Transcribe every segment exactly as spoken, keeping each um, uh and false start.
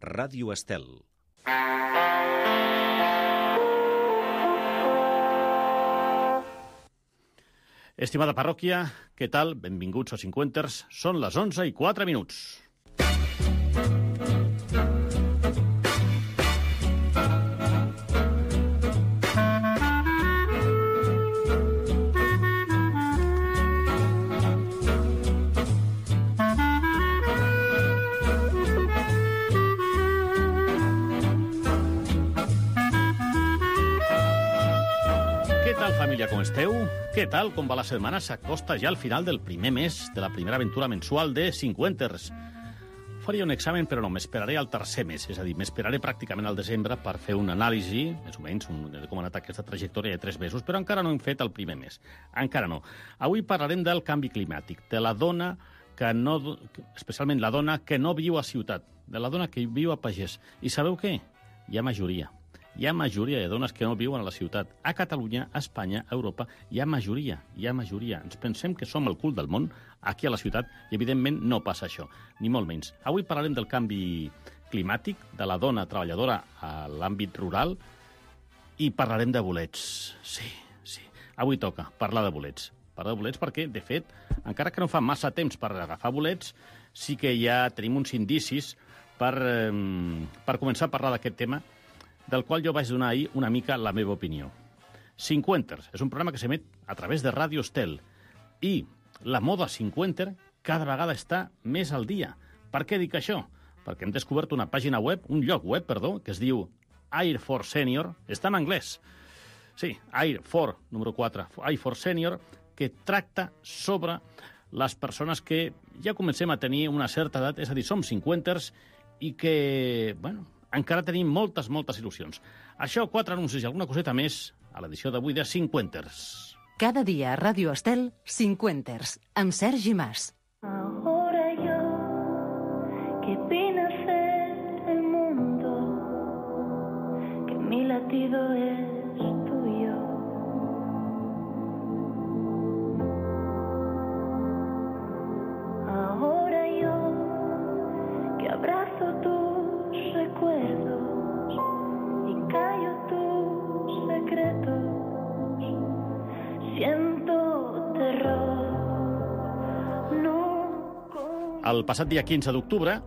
Ràdio Estel. Estimada parròquia, què tal? Benvinguts a Cinquenters. Són les onze i quatre minuts. Família, com esteu? Què tal? Com va la setmana? S'acosta ja al final del primer mes de la primera aventura mensual de Cinquenters. Faria un examen, però no, m'esperaré al tercer mes, és a dir, m'esperaré pràcticament al desembre per fer una anàlisi, més o menys, un, de com ha anat aquesta trajectòria de tres mesos, però encara no hem fet el primer mes. Encara no. Avui parlarem del canvi climàtic, de la dona que no, especialment la dona que no viu a ciutat, de la dona que viu a pagès. I sabeu què? Hi ha majoria. Hi ha majoria de dones que no viuen a la ciutat. A Catalunya, a Espanya, a Europa, hi ha majoria, hi ha majoria. Ens pensem que som el cul del món aquí a la ciutat i, evidentment, no passa això, ni molt menys. Avui parlarem del canvi climàtic, de la dona treballadora a l'àmbit rural i parlarem de bolets. Sí, sí, avui toca parlar de bolets. Parlar de bolets perquè, de fet, encara que no fa massa temps per agafar bolets, sí que ja tenim uns indicis per, eh, per començar a parlar d'aquest tema, del qual jo vaig donar ahir una mica la meva opinió. Cinquenters és un programa que s'emet a través de Ràdio Estel i la moda cinquenter cada vegada està més al dia. Per què dic això? Perquè hem descobert una pàgina web, un lloc web, perdó, que es diu Air for Senior, està en anglès. Sí, Air for, número quatre, Air for Senior, que tracta sobre les persones que ja comencem a tenir una certa edat, és a dir, som cinquenters i que, bueno, encara tenim moltes, moltes il·lusions. Això, quatre anuncis i alguna coseta més a l'edició d'avui de Cinquenters. Cada dia a Ràdio Estel, Cinquenters, amb Sergi Mas. Ahora yo, que vine a ser el mundo, que mi latido es tuyo. Ahora yo, que abrazo tu recuerdos y callo tus secretos, siento terror. No. El passat dia quinze d'octubre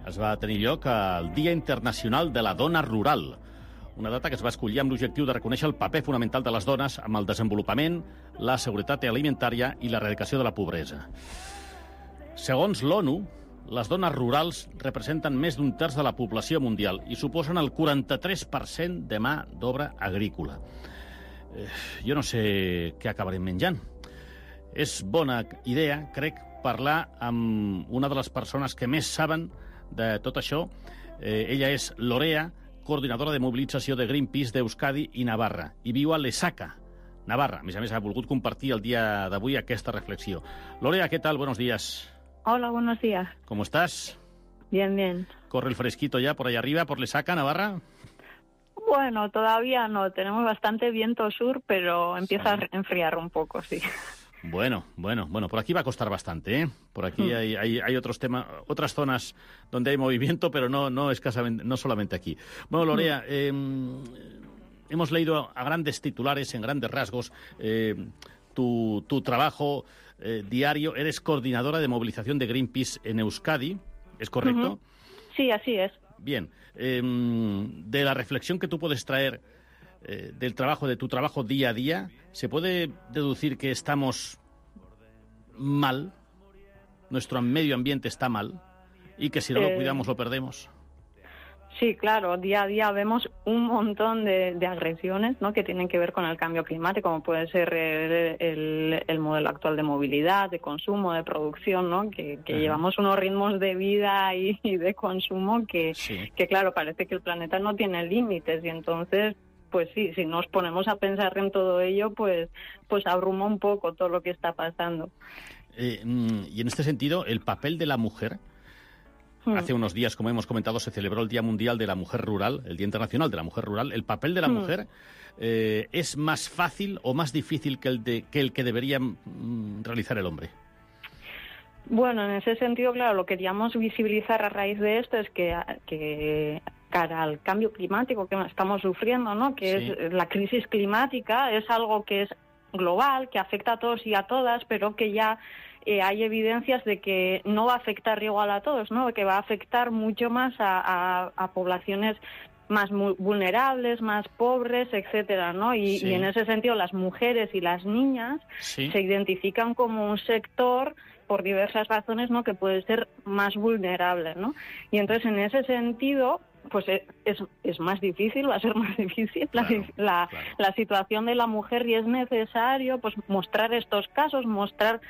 es va tenir lloc el Dia Internacional de la Dona Rural, una data que es va escollir amb l'objectiu de reconèixer el paper fonamental de les dones amb el desenvolupament, la seguretat alimentària i l'erradicació de la pobresa. Segons l'ONU, les dones rurals representen més d'un terç de la població mundial i suposen el quaranta-tres per cent de mà d'obra agrícola. Eh, jo no sé què acabarem menjant. És bona idea, crec, parlar amb una de les persones que més saben de tot això. Eh, ella és Lorea, coordinadora de mobilització de Greenpeace d'Euskadi i Navarra, i viu a Lesaca, Navarra. A més a més, ha volgut compartir el dia d'avui aquesta reflexió. Lorea, què tal? Buenos días. Hola, buenos días. ¿Cómo estás? Bien, bien. ¿Corre el fresquito ya por allá arriba, por Lesaca, Navarra? Bueno, todavía no. Tenemos bastante viento sur, pero empieza sí. a enfriar un poco, sí. Bueno, bueno, bueno. Por aquí va a costar bastante, ¿eh? Por aquí mm. hay, hay, hay otros temas, otras zonas donde hay movimiento, pero no, no escasamente, no solamente aquí. Bueno, Lorea, mm. eh, hemos leído a grandes titulares, en grandes rasgos, eh, tu, tu trabajo eh, diario. Eres coordinadora de movilización de Greenpeace en Euskadi, ¿es correcto? Uh-huh. Sí, así es. Bien. Eh, de la reflexión que tú puedes traer eh, del trabajo, de tu trabajo día a día, ¿se puede deducir que estamos mal? ¿Nuestro medio ambiente está mal? ¿Y que si no eh... lo cuidamos lo perdemos? Sí, claro, día a día vemos un montón de, de agresiones, ¿no?, que tienen que ver con el cambio climático, como puede ser el, el, el modelo actual de movilidad, de consumo, de producción, ¿no?, que, que llevamos unos ritmos de vida y, y de consumo que, sí. que, claro, parece que el planeta no tiene límites y entonces, pues sí, si nos ponemos a pensar en todo ello, pues, pues abruma un poco todo lo que está pasando. Eh, y en este sentido, el papel de la mujer... Hace unos días, como hemos comentado, se celebró el Día Mundial de la Mujer Rural, el Día Internacional de la Mujer Rural. ¿El papel de la mujer eh, es más fácil o más difícil que el, de, que, el que debería mm, realizar el hombre? Bueno, en ese sentido, claro, lo que queríamos visibilizar a raíz de esto es que, que cara al cambio climático que estamos sufriendo, ¿no? Que sí. es la crisis climática, es algo que es global, que afecta a todos y a todas, pero que ya eh, hay evidencias de que no va a afectar igual a todos, ¿no? Que va a afectar mucho más a, a, a poblaciones más vulnerables, más pobres, etcétera, ¿no? Y, sí. y en ese sentido las mujeres y las niñas sí. se identifican como un sector por diversas razones, ¿no? Que puede ser más vulnerable, ¿no? Y entonces en ese sentido, pues es, es más difícil, va a ser más difícil claro, la, la, claro. la situación de la mujer, y es necesario pues mostrar estos casos, mostrar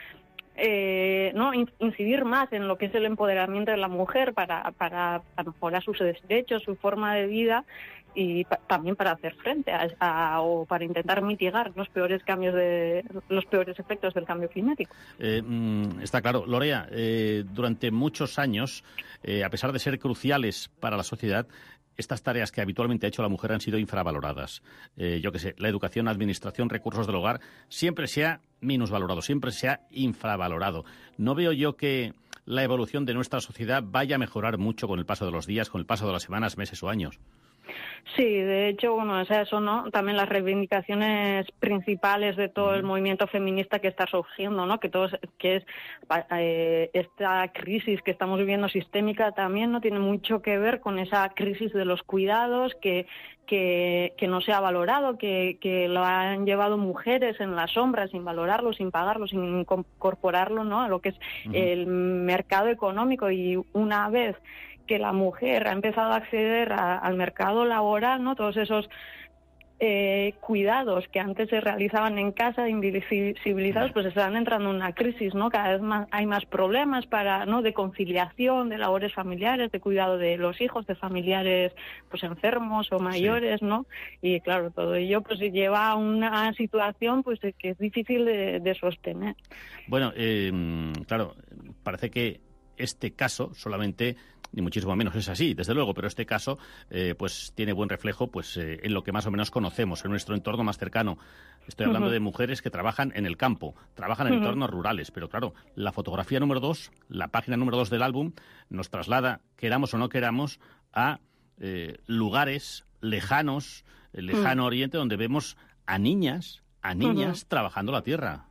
Eh, no incidir más en lo que es el empoderamiento de la mujer para, para, para mejorar sus derechos, su forma de vida, y pa- también para hacer frente a, a o para intentar mitigar los peores cambios de los peores efectos del cambio climático. Eh, está claro, Lorea, eh, durante muchos años, eh, a pesar de ser cruciales para la sociedad, estas tareas que habitualmente ha hecho la mujer han sido infravaloradas. Eh, yo qué sé, la educación, administración, recursos del hogar, siempre se ha minusvalorado, siempre se ha infravalorado. No veo yo que la evolución de nuestra sociedad vaya a mejorar mucho con el paso de los días, con el paso de las semanas, meses o años. Sí, de hecho, bueno, es eso, ¿no? También las reivindicaciones principales de todo el movimiento feminista que está surgiendo, ¿no? Que todos, que es eh, esta crisis que estamos viviendo sistémica también, ¿no? Tiene mucho que ver con esa crisis de los cuidados que que, que no se ha valorado, que, que lo han llevado mujeres en la sombra sin valorarlo, sin pagarlo, sin incorporarlo, ¿no? A lo que es uh-huh. el mercado económico. Y una vez que la mujer ha empezado a acceder a, al mercado laboral, ¿no? Todos esos eh, cuidados que antes se realizaban en casa, invisibilizados, pues están entrando en una crisis, ¿no? Cada vez más hay más problemas para, ¿no? de conciliación, de labores familiares, de cuidado de los hijos, de familiares pues enfermos o mayores, sí. ¿no? Y claro, todo ello pues lleva a una situación pues que es difícil de, de sostener. Bueno, eh, claro, parece que este caso solamente, ni muchísimo menos es así, desde luego, pero este caso eh, pues tiene buen reflejo pues eh, en lo que más o menos conocemos, en nuestro entorno más cercano. Estoy hablando uh-huh. de mujeres que trabajan en el campo, trabajan en uh-huh. entornos rurales, pero claro, la fotografía número dos, la página número dos del álbum, nos traslada, queramos o no queramos, a eh, lugares lejanos, el lejano uh-huh. oriente, donde vemos a niñas, a niñas uh-huh. trabajando la tierra.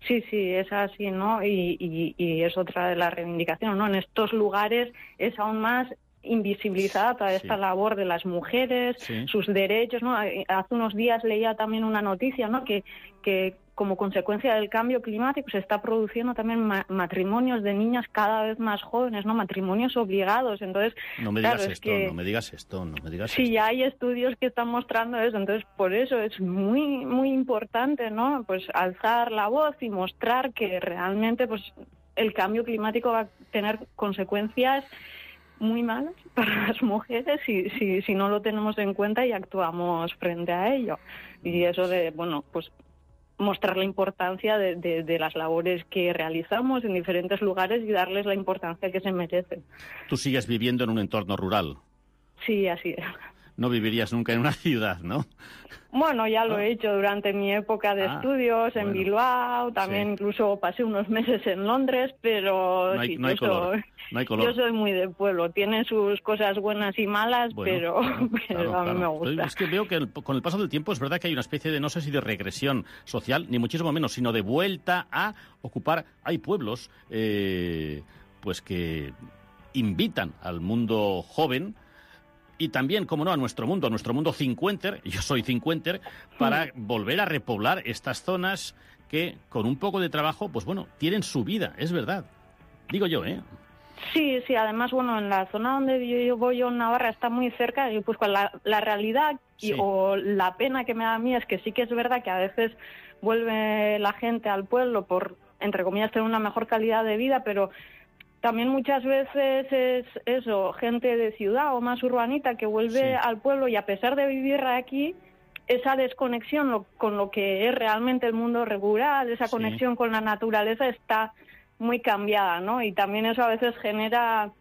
Sí, sí, es así, ¿no? Y, y, y es otra de las reivindicaciones, ¿no? En estos lugares es aún más invisibilizada toda esta sí. labor de las mujeres, sí. sus derechos, ¿no? Hace unos días leía también una noticia, ¿no? Que, que como consecuencia del cambio climático se está produciendo también ma- matrimonios de niñas cada vez más jóvenes, ¿no? Matrimonios obligados. Entonces, no me digas claro, esto, es que, no me digas esto, no me digas sí, esto. ya hay estudios que están mostrando eso, entonces por eso es muy muy importante, ¿no? Pues alzar la voz y mostrar que realmente pues el cambio climático va a tener consecuencias muy malas para las mujeres si, si, si no lo tenemos en cuenta y actuamos frente a ello. Y eso de, bueno, pues mostrar la importancia de, de, de las labores que realizamos en diferentes lugares y darles la importancia que se merecen. Tú sigues viviendo en un entorno rural. Sí, así es. No vivirías nunca en una ciudad, ¿no? Bueno, ya lo ah. he hecho durante mi época de ah, estudios en bueno. Bilbao, también sí. incluso pasé unos meses en Londres, pero no hay, sí, no hay yo, color. Soy, no hay color. yo soy muy de pueblo, tiene sus cosas buenas y malas, bueno, pero, claro, pero claro, a mí claro. me gusta. Es que veo que el, con el paso del tiempo es verdad que hay una especie de, no sé si de regresión social, ni muchísimo menos, sino de vuelta a ocupar. Hay pueblos eh, pues que invitan al mundo joven, y también, como no, a nuestro mundo, a nuestro mundo cincuenter, yo soy cincuenter, para sí. volver a repoblar estas zonas que, con un poco de trabajo, pues bueno, tienen su vida, es verdad. Digo yo, ¿eh? Sí, sí, además, bueno, en la zona donde yo, yo voy, yo en Navarra, está muy cerca, y pues con la, la realidad y, sí. o la pena que me da a mí es que sí que es verdad que a veces vuelve la gente al pueblo por, entre comillas, tener una mejor calidad de vida, pero también muchas veces es eso, gente de ciudad o más urbanita que vuelve sí. al pueblo, y a pesar de vivir aquí, esa desconexión lo, con lo que es realmente el mundo rural, esa conexión sí. con la naturaleza está muy cambiada, ¿no? Y también eso a veces genera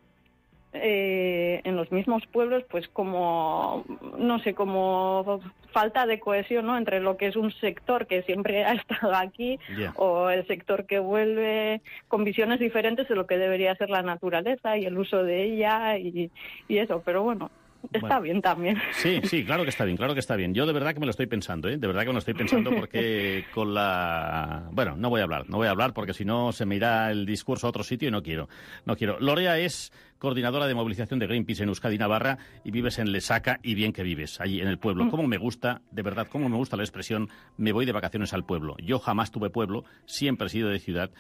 eh, en los mismos pueblos, pues como, no sé, como falta de cohesión, ¿no? Entre lo que es un sector que siempre ha estado aquí Yeah. o el sector que vuelve con visiones diferentes de lo que debería ser la naturaleza y el uso de ella y, y eso, pero bueno. Está Bueno. bien también. Sí, sí, claro que está bien, claro que está bien. Yo de verdad que me lo estoy pensando, ¿eh? De verdad que me lo estoy pensando porque con la... Bueno, no voy a hablar, no voy a hablar porque si no se me irá el discurso a otro sitio y no quiero, no quiero. Lorea es coordinadora de movilización de Greenpeace en Euskadi, Navarra, y vives en Lesaca, y bien que vives, allí en el pueblo. Cómo me gusta, de verdad, cómo me gusta la expresión me voy de vacaciones al pueblo. Yo jamás tuve pueblo, siempre he sido de ciudad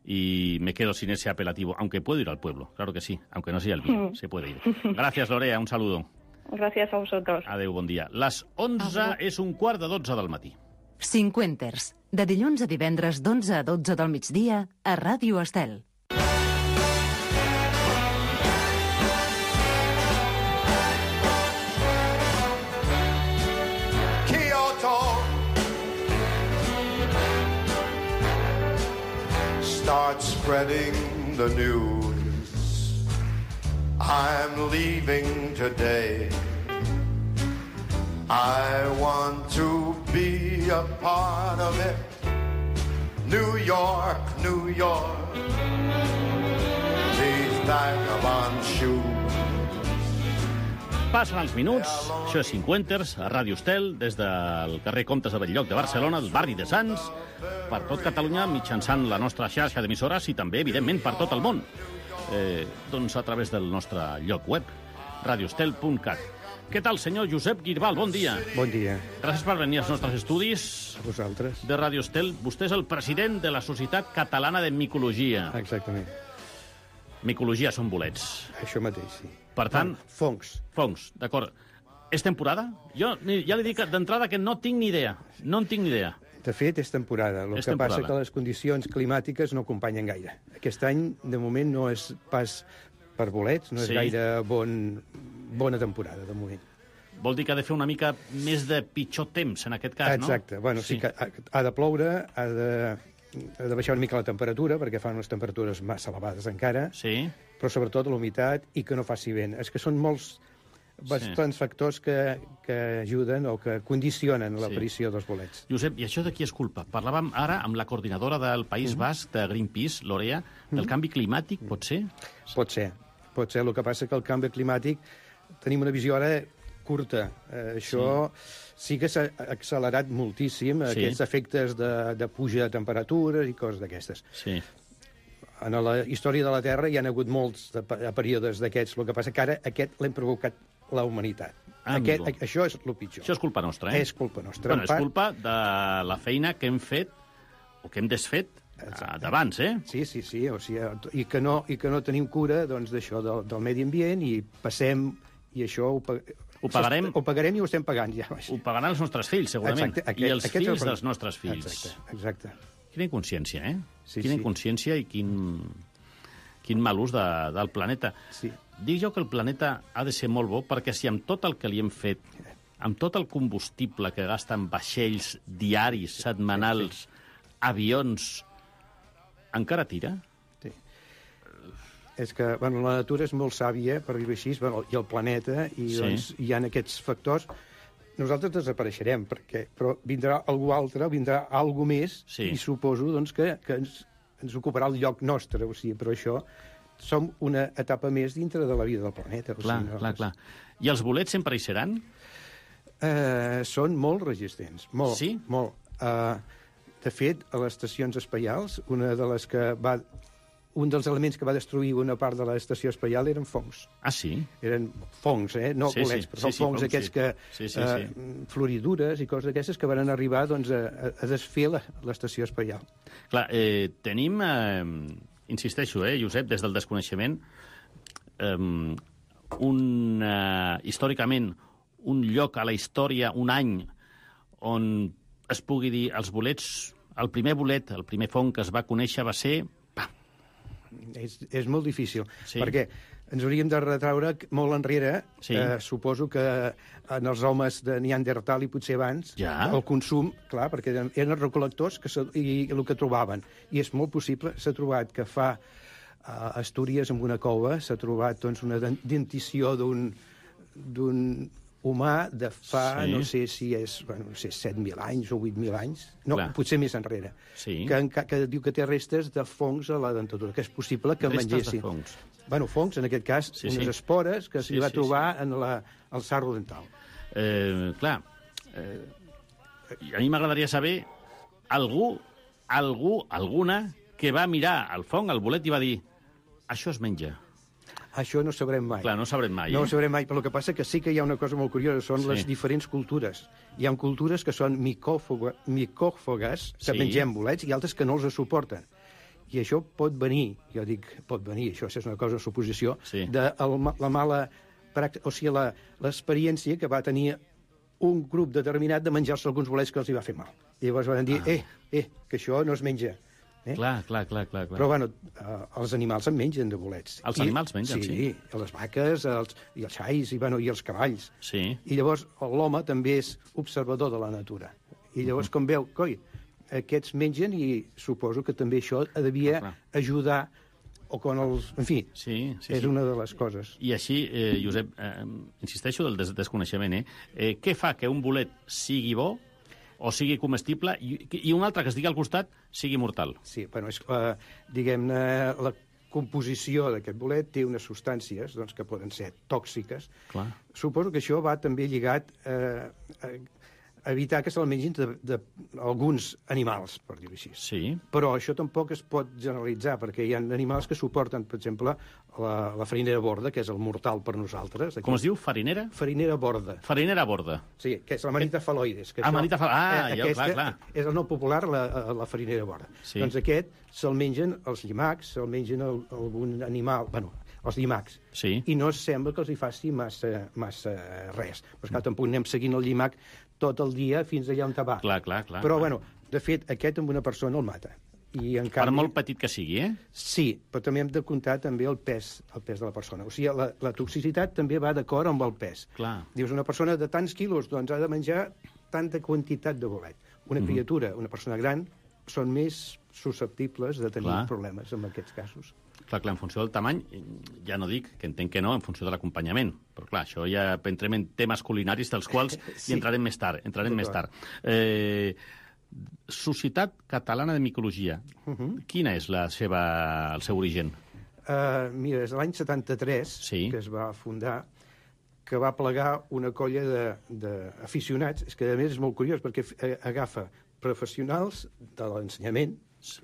y me quedo sin ese apelativo, aunque puedo ir al pueblo, claro que sí, aunque no sea el mío, se puede ir. Gracias, Lorea, un saludo. Gràcies a vosaltres. Adéu, bon dia. Les onze és un quart de dotze del matí. Cinquenters, de dilluns a divendres d'onze a dotze del migdia a Ràdio Estel. Kyoto start spreading the news. I'm leaving today. I want to be a part of it. New York, New York. These vagabond shoes. Passen els minuts, això és Cinquenters, a Ràdio Estel, des del carrer Comtes de Belllloc de Barcelona, el barri de Sants, per tot Catalunya, mitjançant la nostra xarxa d'emissores i també, evidentment, per tot el món. Eh, doncs a través del nostre lloc web, radiostel punt cat. Què tal, senyor Josep Girbal? Bon dia. Bon dia Gràcies per venir als nostres estudis a vosaltres. de Radio Estel. Vostè és el president de la Societat Catalana de Micologia. Exactament. Micologia són bolets. Això mateix, sí. Per tant... Bueno, fongs. Fongs, d'acord. És temporada? Jo ni- ja li dic d'entrada que no tinc ni idea. No en tinc ni idea. De fet, és temporada. El És que temporada. passa que les condicions climàtiques no acompanyen gaire. Aquest any, de moment, no és pas per bolets, no és Sí. gaire bon, bona temporada, de moment. Vol dir que ha de fer una mica més de pitjor temps, en aquest cas, no? Exacte. Bueno, sí, que ha, ha de ploure, ha de, ha de baixar una mica la temperatura, perquè fan unes temperatures massa elevades encara, Sí. però sobretot l'humitat i que no faci vent. És que són molts bastants factors que, que ajuden o que condicionen l'aparició dels bolets. Josep, i això de qui és culpa? Parlàvem ara amb la coordinadora del País Basc de Greenpeace, Lorea, del canvi climàtic, pot ser? Pot ser. Pot ser. El que passa que el canvi climàtic tenim una visió ara curta. Eh, això sí. sí que s'ha accelerat moltíssim, Sí. aquests efectes de, de puja de temperatures i coses d'aquestes. Sí. En la història de la Terra hi ha hagut molts de, pe- períodes d'aquests. El que passa que ara aquest l'hem provocat la humanitat. Ah, aquest, amigo. això és el pitjor. Això és culpa nostra, eh? És culpa nostra. Bueno, En és part- culpa de la feina que hem fet, o que hem desfet, Exacte. d'abans, eh? Sí, sí, sí, o sigui, i que no, i que no tenim cura doncs, d'això del, del medi ambient i passem, i això ho, pa- Ho pagarem. Ho pagarem i ho estem pagant ja. Ho pagaran els nostres fills, segurament. Exacte, aquest- I els aquest és el fills problema. dels nostres fills. Exacte, exacte. Quina inconsciència, eh? Sí, Quina sí. inconsciència i quin, quin mal ús de, del planeta. Sí. Dic jo que el planeta ha de ser molt bo perquè si amb tot el que li hem fet, amb tot el combustible que gasten vaixells diaris, setmanals, avions, encara tira? Sí. És que bueno, la natura és molt sàvia, per dir-ho així, bueno, i el planeta, i Sí. doncs, hi ha aquests factors. Nosaltres desapareixerem, perquè, però vindrà algú altre, vindrà algú més, Sí. i suposo doncs, que, que ens, ens ocuparà el lloc nostre. O sigui, però això som una etapa més dintre de la vida del planeta. O Clar, sigui, no, clar, clar. I els bolets sempre hi seran? Eh, són molt resistents, molt, Sí? molt. Eh, de fet, a les estacions espacials, una de les que va... Un dels elements que va destruir una part de l'estació espacial eren fongs. Ah, sí? Eren fongs, eh? No Sí, bolets, sí, però sí, són sí, fongs fongs, aquests sí. que... Sí, sí, eh, floridures i coses d'aquestes que van arribar doncs, a, a desfer la- l'estació espacial. Clar, eh, tenim, eh, insisteixo, eh, Josep, des del desconeixement, eh, un, eh, històricament, un lloc a la història, un any, on es pugui dir els bolets, el primer bolet, el primer fong que es va conèixer va ser... És, és molt difícil, Sí. perquè ens hauríem de retraure molt enrere, Sí. eh, suposo que en els homes de Neandertal i potser abans, Ja. el consum, clar, perquè eren, eren recol·lectors que se, i, i el que trobaven. I és molt possible, s'ha trobat que fa a Astúries, en una cova, s'ha trobat doncs, una dentició d'un d'un humà de fa, Sí. no sé si és, bueno, no sé, set mil anys o vuit mil anys, no, Clar. potser més enrere, Sí. que, enca- que diu que té restes de fongs a la dentadura, que és possible que Restes de mengessin. fongs. Bueno, fongs, en aquest cas, Sí, unes sí. espores que s'hi Sí, va sí, trobar en la, al sarro dental. Eh, clar, eh, a mi m'agradaria saber algú, algú, alguna, que va mirar al fong, al bolet, i va dir això es menja. Això no ho sabrem mai. Clar, no ho sabrem mai, No eh? ho sabrem mai, però el que passa que sí que hi ha una cosa molt curiosa, són Sí. les diferents cultures. Hi ha cultures que són micòfoga, micòfogues, que Sí. mengem bolets, i altres que no els suporten. I això pot venir, jo dic pot venir, això és una cosa, una suposició, Sí. de el, ma- la mala pràctica, o sigui, la- l'experiència que va tenir un grup determinat de menjar-se alguns bolets que els hi va fer mal. I llavors van dir, Ah. eh, eh, que això no es menja. Eh? Clar, clar, clar, clar. clar. Però, bueno, eh, els animals en mengen de bolets. Els I- animals mengen, sí. Sí, les vaques, els, i els xais, i, bueno, i els cavalls. Sí. I llavors l'home també és observador de la natura. I llavors, com veu, coi, aquests mengen i suposo que també això devia Ah, clar. ajudar, o quan els... En fi, Sí, sí, és sí. una de les coses. I així, eh, Josep, eh, insisteixo del des desconeixement, eh? eh? Què fa que un bolet sigui bo o sigui comestible i, i un altre que es digui al costat sigui mortal? Sí, bueno, és, eh, diguem-ne, la composició d'aquest bolet té unes substàncies doncs, que poden ser tòxiques. Clar. Suposo que això va també lligat eh, a evitar que se'l mengin d'alguns animals, per dir-ho així. Sí. Però això tampoc es pot generalitzar, perquè hi ha animals que suporten, per exemple, la, la farinera borda, que és el mortal per nosaltres. Aquí. Com es diu? Farinera? Farinera borda. Farinera a borda. Sí, que és la manita faloides. Que Ah, això- manita fal- ah, ja, aquesta clar, clar. És el nom popular, la, la farinera borda. Sí. Doncs aquest se'l mengen els llimacs, se'l mengen el, algun animal... Bueno, els llimacs. Sí. I no sembla que els hi faci massa, massa res. Però, esclar, tampoc anem seguint el llimac tot el dia fins allà on va. Clar, clar, clar. Però, clar. bueno, de fet, aquest amb una persona el mata. I, en Per canvi, molt petit que sigui, eh? Sí, però també hem de comptar també el pes, el pes de la persona. O sigui, la, la toxicitat també va d'acord amb el pes. Clar. Dius, una persona de tants quilos doncs ha de menjar tanta quantitat de bolet. Una Mhm. criatura, una persona gran, són més susceptibles de tenir Clar. problemes en aquests casos. Clar, clar, en funció del tamany, ja no dic, que entenc que no, en funció de l'acompanyament. Però clar, això ja entrem en temes culinaris dels quals Sí. hi entrarem més tard. Entrarem Tot més clar. tard. Eh, Societat Catalana de Micologia. Mhm. Quina és la seva, el seu origen? Uh, mira, és l'any setanta-tres Sí. que es va fundar, que va plegar una colla d'aficionats. És que, a més, és molt curiós, perquè eh, agafa professionals de l'ensenyament,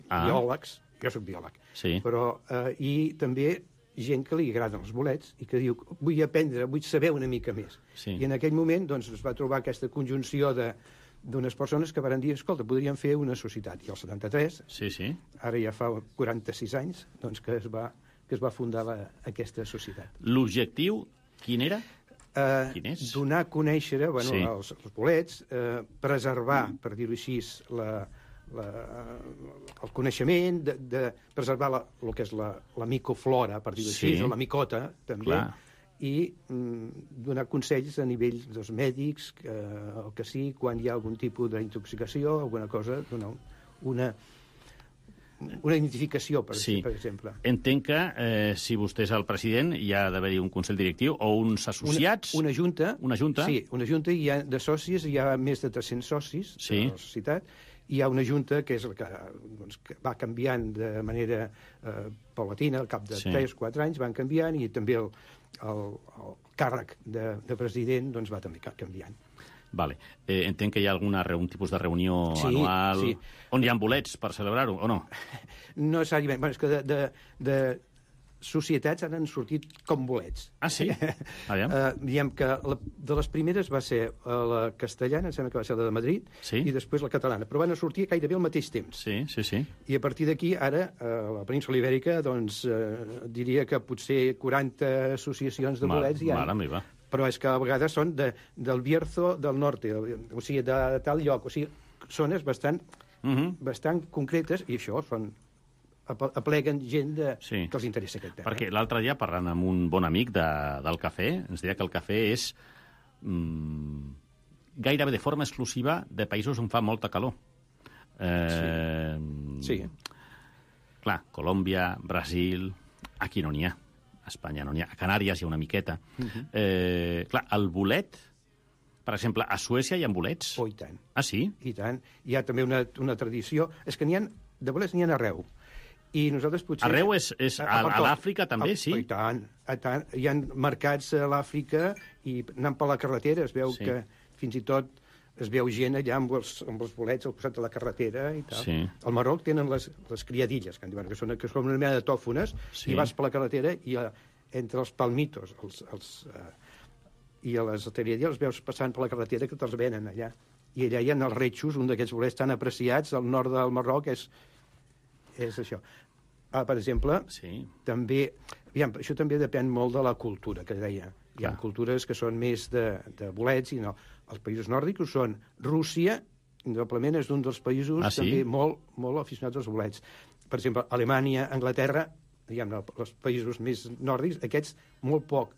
Ah. biòlegs, jo soc biòleg, Sí. però, eh, i també gent que li agraden els bolets i que diu, vull aprendre, vull saber una mica més. Sí. I en aquell moment doncs, es va trobar aquesta conjunció de d'unes persones que van dir, escolta, podríem fer una societat. I el setanta-tres, Sí, sí. ara ja fa quaranta-sis anys, doncs que es va, que es va fundar la, aquesta societat. L'objectiu, quin era? Eh, Quin és? donar a conèixer bueno, Sí. els, els bolets, eh, preservar, per dir-ho així, la, la, el coneixement, de, de preservar la, el que és la, la micoflora, per dir-ho Sí. així, o la micota, també, Clar. i mm, donar consells a nivell dels mèdics, eh, el que sí, quan hi ha algun tipus d'intoxicació, alguna cosa, donar una, una identificació, per, Sí. per exemple. Entenc que, eh, si vostè és el president, hi ha d'haver-hi un consell directiu o uns associats. Una, una junta. Una junta? Sí, una junta, i hi ha de socis, hi ha més de tres-cents socis Sí. de la societat. Hi ha una junta que és la que, doncs, que va canviant de manera eh, paulatina, al cap de Sí. tres o quatre anys van canviant, i també el, el, el càrrec de, de president doncs, va també ca- canviant. Vale. Eh, entenc que hi ha alguna, re- un tipus de reunió Sí, anual sí. on hi ha bolets per celebrar-ho, o no? No necessàriament, bueno, és que de, de, de societats han sortit com bolets. Ah, sí? Aviam. Uh, diguem que la, de les primeres va ser uh, la castellana, em sembla que va ser la de Madrid, Sí. i després la catalana, però van sortir gairebé al mateix temps. Sí, sí, sí. I a partir d'aquí, ara, a la península Ibèrica, doncs, eh, diria que potser quaranta associacions de Ma- bolets hi ha. Mare meva. Però és que a vegades són de, del Bierzo del Norte, o sigui, de tal lloc. O sigui, zones bastant, Mhm. bastant concretes, i això són ap- apleguen gent de, Sí. que els interessa aquest tema. Perquè l'altre dia, parlant amb un bon amic de, del cafè, ens deia que el cafè és mm, gairebé de forma exclusiva de països on fa molta calor. Eh, Sí. Clar, Colòmbia, Brasil, Aquí no n'hi ha. A Espanya no n'hi ha. A Canàries hi ha una miqueta. Uh -huh. eh, clar, el bolet, per exemple, a Suècia hi ha bolets? Oh, i tant. Ah, sí? I tant. Hi ha també una, una tradició... És que n'hi ha, de bolets n'hi ha arreu. I nosaltres potser... Arreu és, és a, a, a l'Àfrica també, a, sí? I tant, i tant. Hi ha mercats a l'Àfrica i anant per la carretera es veu sí. que fins i tot es veu gent allà amb els, amb els bolets al costat de la carretera i tal. Sí. Al Marroc tenen les, les criadilles, que, en diuen, que, són, que són una mena de tòfones, sí. i vas per la carretera i a, entre els palmitos els, els, uh, i a les criadilles els veus passant per la carretera que te'ls venen allà. I allà hi ha els retxos, un d'aquests bolets tan apreciats al nord del Marroc, és, és això. Ah, per exemple, sí. també... Aviam, això també depèn molt de la cultura, que deia. Hi ha Clar. cultures que són més de, de bolets i no. Els països nòrdics són Rússia, indudablement és un dels països ah, sí? també molt, molt aficionats als bolets. Per exemple, Alemanya, Anglaterra, diguem, els països més nòrdics, aquests molt poc.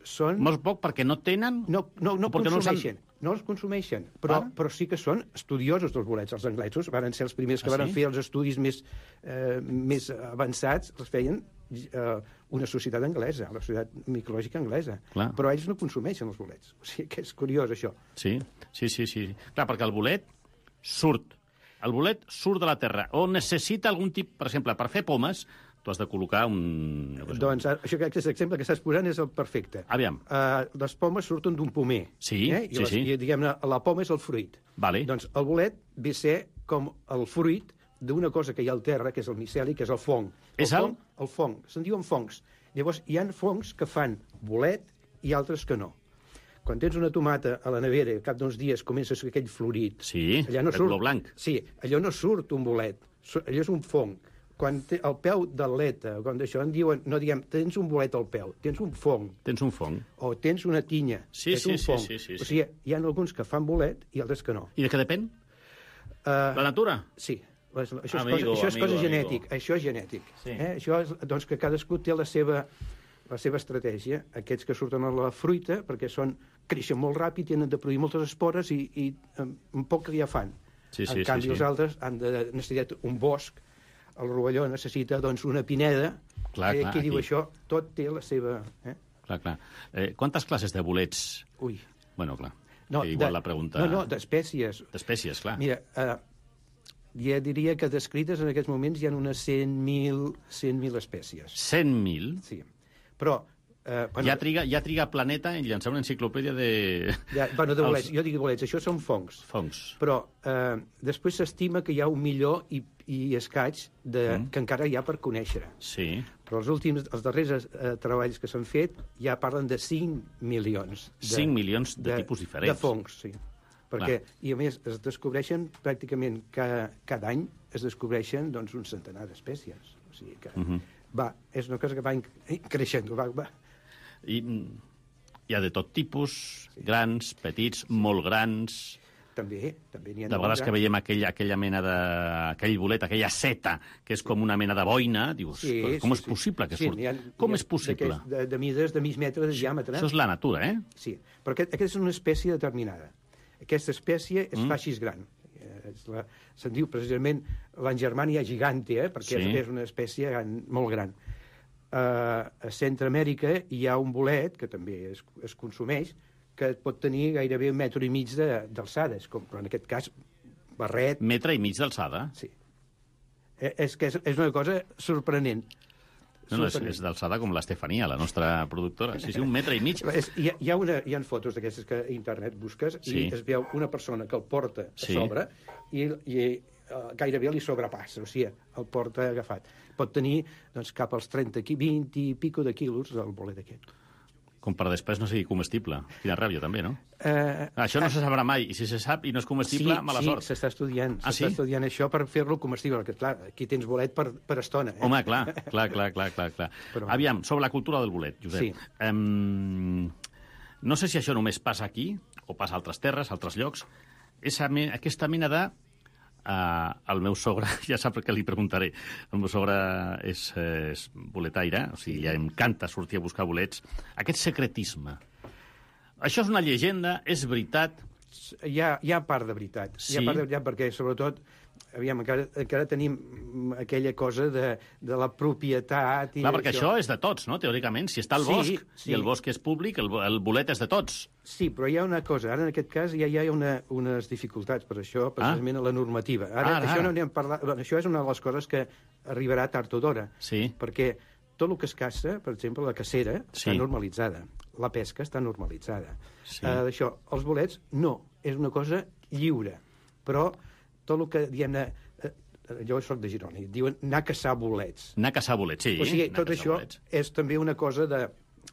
Són... Molt poc perquè no tenen? No, no, no consumeixen. No, no els consumeixen, però, ah. però sí que són estudiosos dels bolets. Els anglesos van ser els primers que ah, van sí? fer els estudis més, eh, més avançats, els feien eh, una societat anglesa, la societat micològica anglesa. Clar. Però ells no consumeixen els bolets. O sigui que és curiós, això. Sí, sí, sí, sí. Clar, perquè el bolet surt. El bolet surt de la terra. O necessita algun tipus... Per exemple, per fer pomes, tu has de col·locar un... No sé, doncs això, aquest exemple que estàs posant és el perfecte. Aviam. Uh, les pomes surten d'un pomer. Sí, eh? I sí, les, sí. I, diguem-ne, la poma és el fruit. Vale. Doncs el bolet ve a ser com el fruit d'una cosa que hi ha al terra, que és el miceli, que és el fong. El és el? fong, el fong. Se'n diuen fongs. Llavors, hi ha fongs que fan bolet i altres que no. Quan tens una tomata a la nevera i al cap d'uns dies comença a ser aquell florit... Sí, allà no de surt, color blanc. Sí, allò no surt un bolet, allò és un fong. Quan té el peu d'atleta, quan d'això en diuen, no diguem, tens un bolet al peu, tens un fong. Tens un fong. O tens una tinya, Sí, és sí, un sí, fong. sí, sí, sí. O sigui, hi ha alguns que fan bolet i altres que no. I de què depèn? Uh, La natura? Sí. Les, això Amigo, és cosa, això és amigo, cosa amigo. genètic. Això és genètic. Sí. Eh? Això és, doncs que cadascú té la seva, la seva estratègia. Aquests que surten a la fruita, perquè són, creixen molt ràpid, tenen de produir moltes espores i, i un poc que ja fan. Sí, sí, en canvi, sí, sí. els altres han de necessitar un bosc. El rovelló necessita, doncs, una pineda. Clar, eh, clar, qui diu aquí. això? Tot té la seva... Eh? Clar, clar. Eh, quantes classes de bolets? Ui. Bueno, clar. No, que igual de, la pregunta... No, no, d'espècies. D'espècies, clar. Mira, eh, ja diria que descrites en aquests moments hi ha unes cent mil espècies. cent mil? Sí. Però... Eh, bueno, Ja triga, ja triga Planeta en llançar una enciclopèdia de... ja, bueno, de bolets. Els- Jo dic bolets, això són fongs. Fongs. Però eh, després s'estima que hi ha un milió i, i escaig de, Mm. que encara hi ha per conèixer. Sí. Però els últims, els darrers eh, treballs que s'han fet ja parlen de cinc milions. De, cinc milions de, tipus diferents. De fongs, sí. Perquè, i a més, es descobreixen pràcticament cada, cada any es descobreixen doncs, un centenar d'espècies. O sigui que, Mhm. va, és una cosa que va inc- creixent. Va, va. I mm, hi ha de tot tipus, grans, petits, molt grans... També, també n'hi ha De vegades molt que grans. veiem aquella, aquella mena de... aquell bolet, aquella seta, que és com una mena de boina, dius, Sí, com sí, és sí. possible que Sí, surti? n'hi ha- Com n'hi ha és possible? d'aquests De, de mides de mig metre de diàmetre. Això és la natura, eh? Sí, però aquest, aquesta és una espècie determinada. Aquesta espècie és Mm. mm. faixis gran. Eh, és la- Se'n diu precisament l'Angermania gigante, eh, perquè Sí. és, és una espècie gran, molt gran. Uh, a Centroamèrica hi ha un bolet, que també es, es consumeix, que pot tenir gairebé un metre i mig de- d'alçada, de, com, però en aquest cas barret. Metre i mig d'alçada. Sí. Eh, és que és, és una cosa sorprenent. No, no, és, Sorprenent. és d'alçada com l'Estefania, la nostra productora. Sí, sí, un metre i mig. És, hi, ha, hi, ha una, hi ha fotos d'aquestes que a internet busques Sí. i es veu una persona que el porta Sí. a sobre i, i uh, gairebé li sobrepassa, o sigui, el porta agafat. Pot tenir doncs, cap als trenta, vint i pico de quilos el bolet aquest. Com per després no sigui comestible. Quina ràbia, també, no? Uh, Això no se sabrà mai. I si se sap i no és comestible, mala sí, sort. Sí, s'està estudiant. Ah, s'està sí? estudiant això per fer-lo comestible, perquè, clar, aquí tens bolet per, per estona. Eh? Home, clar, clar, clar, clar, clar, clar. Però- Aviam, sobre la cultura del bolet, Josep. Sí. Um, no sé si això només passa aquí, o passa a altres terres, a altres llocs. Esa, me- aquesta mena de... Uh, el meu sogre, ja sap que li preguntaré, el meu sogre és, eh, és boletaire, o sigui, ja encanta sortir a buscar bolets. Aquest secretisme, això és una llegenda, és veritat, hi ha, hi ha part de veritat. Sí. Hi ha part de veritat perquè, sobretot, aviam, encara, encara tenim aquella cosa de, de la propietat... I Clar, perquè això és de tots, no?, teòricament. Si està al Sí, bosc sí. i el bosc és públic, el, el bolet és de tots. Sí, però hi ha una cosa. Ara, en aquest cas, ja hi ha una, unes dificultats per això, precisament a la normativa. Ara, Ara, això, ara. no n'hem parlat, bueno, això és una de les coses que arribarà tard o d'hora. Sí. Perquè tot el que es caça, per exemple, la cacera, Sí. està normalitzada. La pesca està normalitzada. Sí. Uh, això, els bolets, no. És una cosa lliure. Però tot el que, diguem-ne... Uh, jo soc de Girona, i diuen anar a caçar bolets. Anar a caçar bolets, sí. O sigui, anar a tot caçar això bolets. és també una cosa de,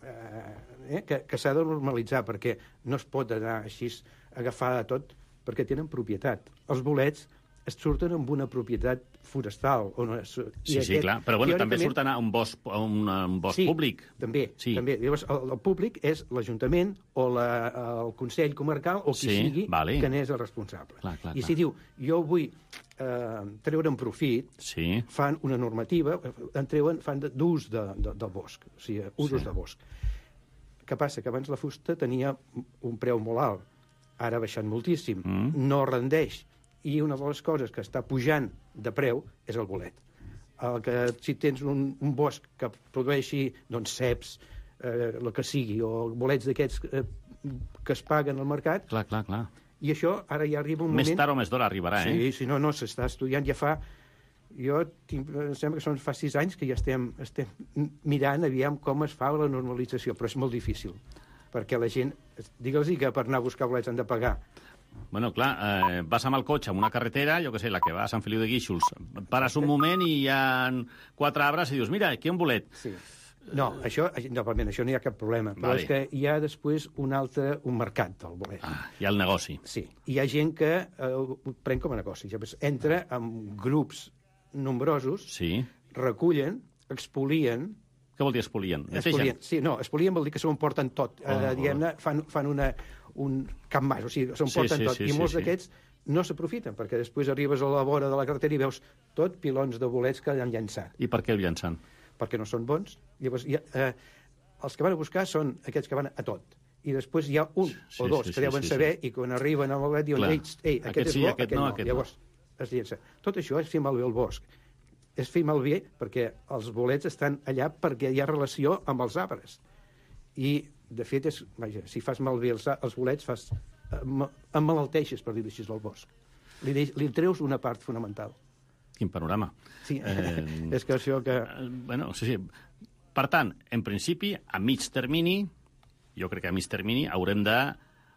eh, eh, que, que s'ha de normalitzar, perquè no es pot anar així a agafar de tot, perquè tenen propietat. Els bolets es surten amb una propietat forestal. On es, Sí, sí, clar. Però bueno, també teòricament- surten a un bosc, a un, a un bosc sí, públic. També, Sí. també. Llavors, el, el públic és l'Ajuntament o la, el Consell Comarcal o qui Sí, sigui vale. que n'és el responsable. Clar, clar, I clar. si diu, jo vull eh, treure'n profit, Sí. fan una normativa, en treuen, fan de- d'ús de, de, del bosc, o sigui, usos Sí. de bosc. Què passa? Que abans la fusta tenia un preu molt alt, ara ha baixat moltíssim, Mm. no rendeix, i una de les coses que està pujant de preu és el bolet. El que, si tens un, un bosc que produeixi doncs, ceps, eh, el que sigui, o bolets d'aquests eh, que es paguen al mercat, Clar, clar, clar. i això ara ja arriba un Més moment... tard o més d'hora arribarà, eh? Sí, sí, no, no, s'està estudiant, ja fa... Jo tinc, em sembla que són fa sis anys que ja estem, estem mirant aviam com es fa la normalització, però és molt difícil, perquè la gent, digue'ls que per anar a buscar bolets han de pagar. Bueno, clar, eh, vas amb el cotxe en una carretera, jo què sé, la que va a Sant Feliu de Guíxols, pares un moment i hi ha quatre arbres i dius, mira, aquí hi ha un bolet. Sí. No, això, no, això no hi ha cap problema, però Vale. és que hi ha després un altre, un mercat del bolet. Ah, hi ha el negoci. Sí, hi ha gent que eh, ho pren com a negoci, llavors entra amb grups nombrosos, Sí. recullen, expolien, Què vol dir espolien? Espolien, Netegen? sí, no, espolien vol dir que s'ho emporten tot. Oh, eh, diguem-ne, fan, fan una, un cap mas, o sigui, s'ho Sí, emporten sí, tot. sí, I sí, molts sí. d'aquests no s'aprofiten, perquè després arribes a la vora de la carretera i veus tot pilons de bolets que han llançat, I per què el llancen? perquè no són bons. Llavors, hi ha, eh, els que van a buscar són aquests que van a tot. I després hi ha un Sí, o dos sí, que sí, deuen sí, saber sí. i quan arriben al bolet diuen, Clar. ei, ei, aquest, Aquest és sí, bo, aquest aquest no, no. aquest Llavors, es llença. Tot això és fer malbé el bosc. És fer malbé perquè els bolets estan allà perquè hi ha relació amb els arbres. I, de fet, és, vaja, si fas malbé els, els bolets, fas, em- emmalalteixes, per dir-ho així, del bosc. Li, deix, li treus una part fonamental. Quin panorama. Sí, Eh, és que això que... Eh, Bueno, sí, sí. Per tant, en principi, a mig termini, jo crec que a mig termini haurem de...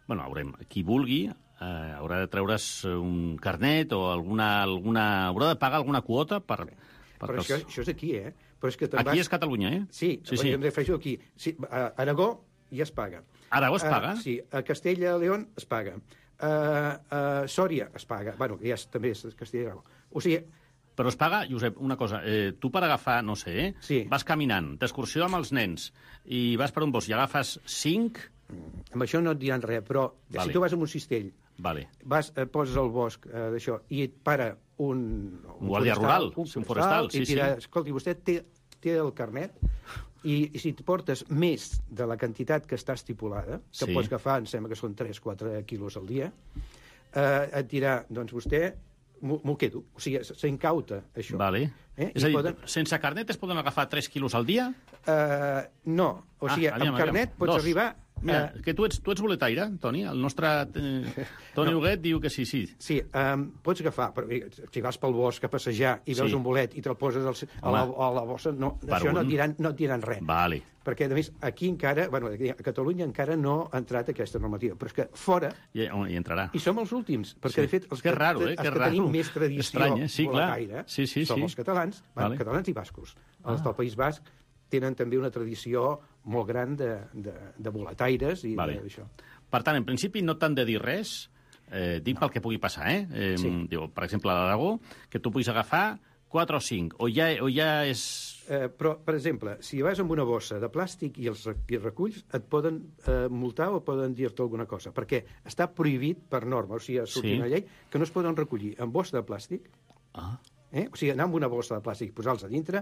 Bueno, haurem, qui vulgui, eh, haurà de treure's un carnet o alguna... alguna haurà de pagar alguna quota per... per Però això, això és aquí, eh? Però és que te'n Aquí vas... és Catalunya, eh? Sí, sí, sí. sí. Em refereixo aquí. Sí, a Aragó ja es paga. Aragó es A- paga? sí, a Castella i León es paga. A, a Sòria es paga. Bueno, que ja és, també és Castella i Aragó. O sigui, Però es paga, Josep, una cosa, eh, tu per agafar, no sé, eh, Sí. vas caminant, d'excursió amb els nens, i vas per un bosc i agafes cinc... amb això no et diran res, però Vale. si tu vas amb un cistell, Vale. vas, eh, poses al bosc eh, d'això i et para un... Un guàrdia rural, un sí, un forestal, sí, i tira, sí. escolti, vostè té, té el carnet i, i si et portes més de la quantitat que està estipulada, que Sí. pots agafar, em sembla que són tres o quatre quilos al dia, eh, et dirà, doncs vostè m'ho m'ho quedo. O sigui, s'incauta això. Vale. Eh? És I a dir, poden- sense carnet es poden agafar tres quilos al dia? Eh, no, o sigui, Ah, aviam, amb carnet aviam. pots Dos. arribar... Mira, eh, que tu ets, tu ets boletaire, Toni? El nostre eh, Toni No. Huguet diu que sí, sí. Sí, um, pots agafar, però eh, si vas pel bosc a passejar i veus Sí. un bolet i te'l poses al, a, la, a la bossa, no, Per això no un. et, diran, no et diran res. Vale. Perquè, a més, aquí encara, bueno, aquí a Catalunya encara no ha entrat aquesta normativa, però és que fora, I, hi entrarà. i som els últims, perquè, Sí. de fet, els Que raro, eh? els Que que raro. tenim més tradició Estrany, eh? Sí, clar. boletaire Sí, sí, som sí. els catalans, bueno, Vale. catalans i bascos. Els del País Basc tenen també una tradició molt gran de, de, de boletaires i Vale. d'això. Per tant, en principi no t'han de dir res, eh, dic pel que pugui passar, eh? eh Sí. diu, per exemple, a l'Aragó, que tu puguis agafar quatre o cinc, o ja, o ja és... Eh, però, per exemple, si vas amb una bossa de plàstic i els re- i reculls, et poden eh, multar o poden dir-te alguna cosa, perquè està prohibit per norma, o sigui, ha sortit Sí. una llei que no es poden recollir en bossa de plàstic, Ah, Eh? O sigui, anar amb una bossa de plàstic i posar-los a dintre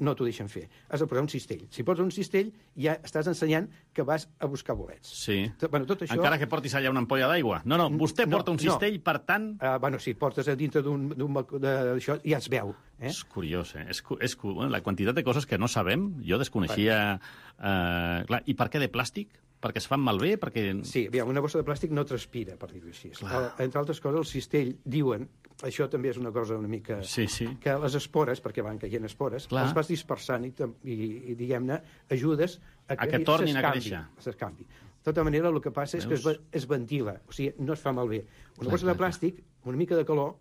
no t'ho deixen fer. Has de posar un cistell. Si poses un cistell, ja estàs ensenyant que vas a buscar bolets. Sí. Tot, bueno, tot això... Encara que portis allà una ampolla d'aigua. No, no, vostè No, porta un no. cistell, per tant... Uh, bueno, si et portes a dintre d'un... d'això, ja es veu. Eh? És curiós, eh? És, cu- és, cu- bueno, la quantitat de coses que no sabem, jo desconeixia... Eh, clar, i per què de plàstic? Perquè es fan malbé? Perquè... Sí, aviam, una bossa de plàstic no transpira, per dir-ho així. Clar. El, entre altres coses, el cistell, diuen, això també és una cosa una mica... Sí, sí. Que les espores, perquè van caient espores, Clar. els vas dispersant i, tam- i, i diguem-ne, ajudes a que, A que tornin a s'escampi, créixer. s'escampi. De tota manera, el que passa és que es, Veus? ve- es ventila, o sigui, no es fa malbé. Una Clar, bossa de clar, plàstic, una mica de calor,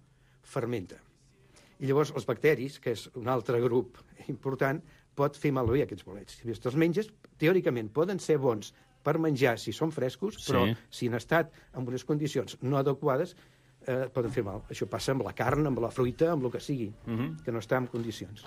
fermenta. I llavors els bacteris, que és un altre grup important, pot fer malbé aquests bolets. Si te'ls menges, teòricament poden ser bons per menjar si són frescos, però Sí. si han estat en unes condicions no adequades, eh, poden fer mal. Això passa amb la carn, amb la fruita, amb el que sigui, Mhm. que no està en condicions.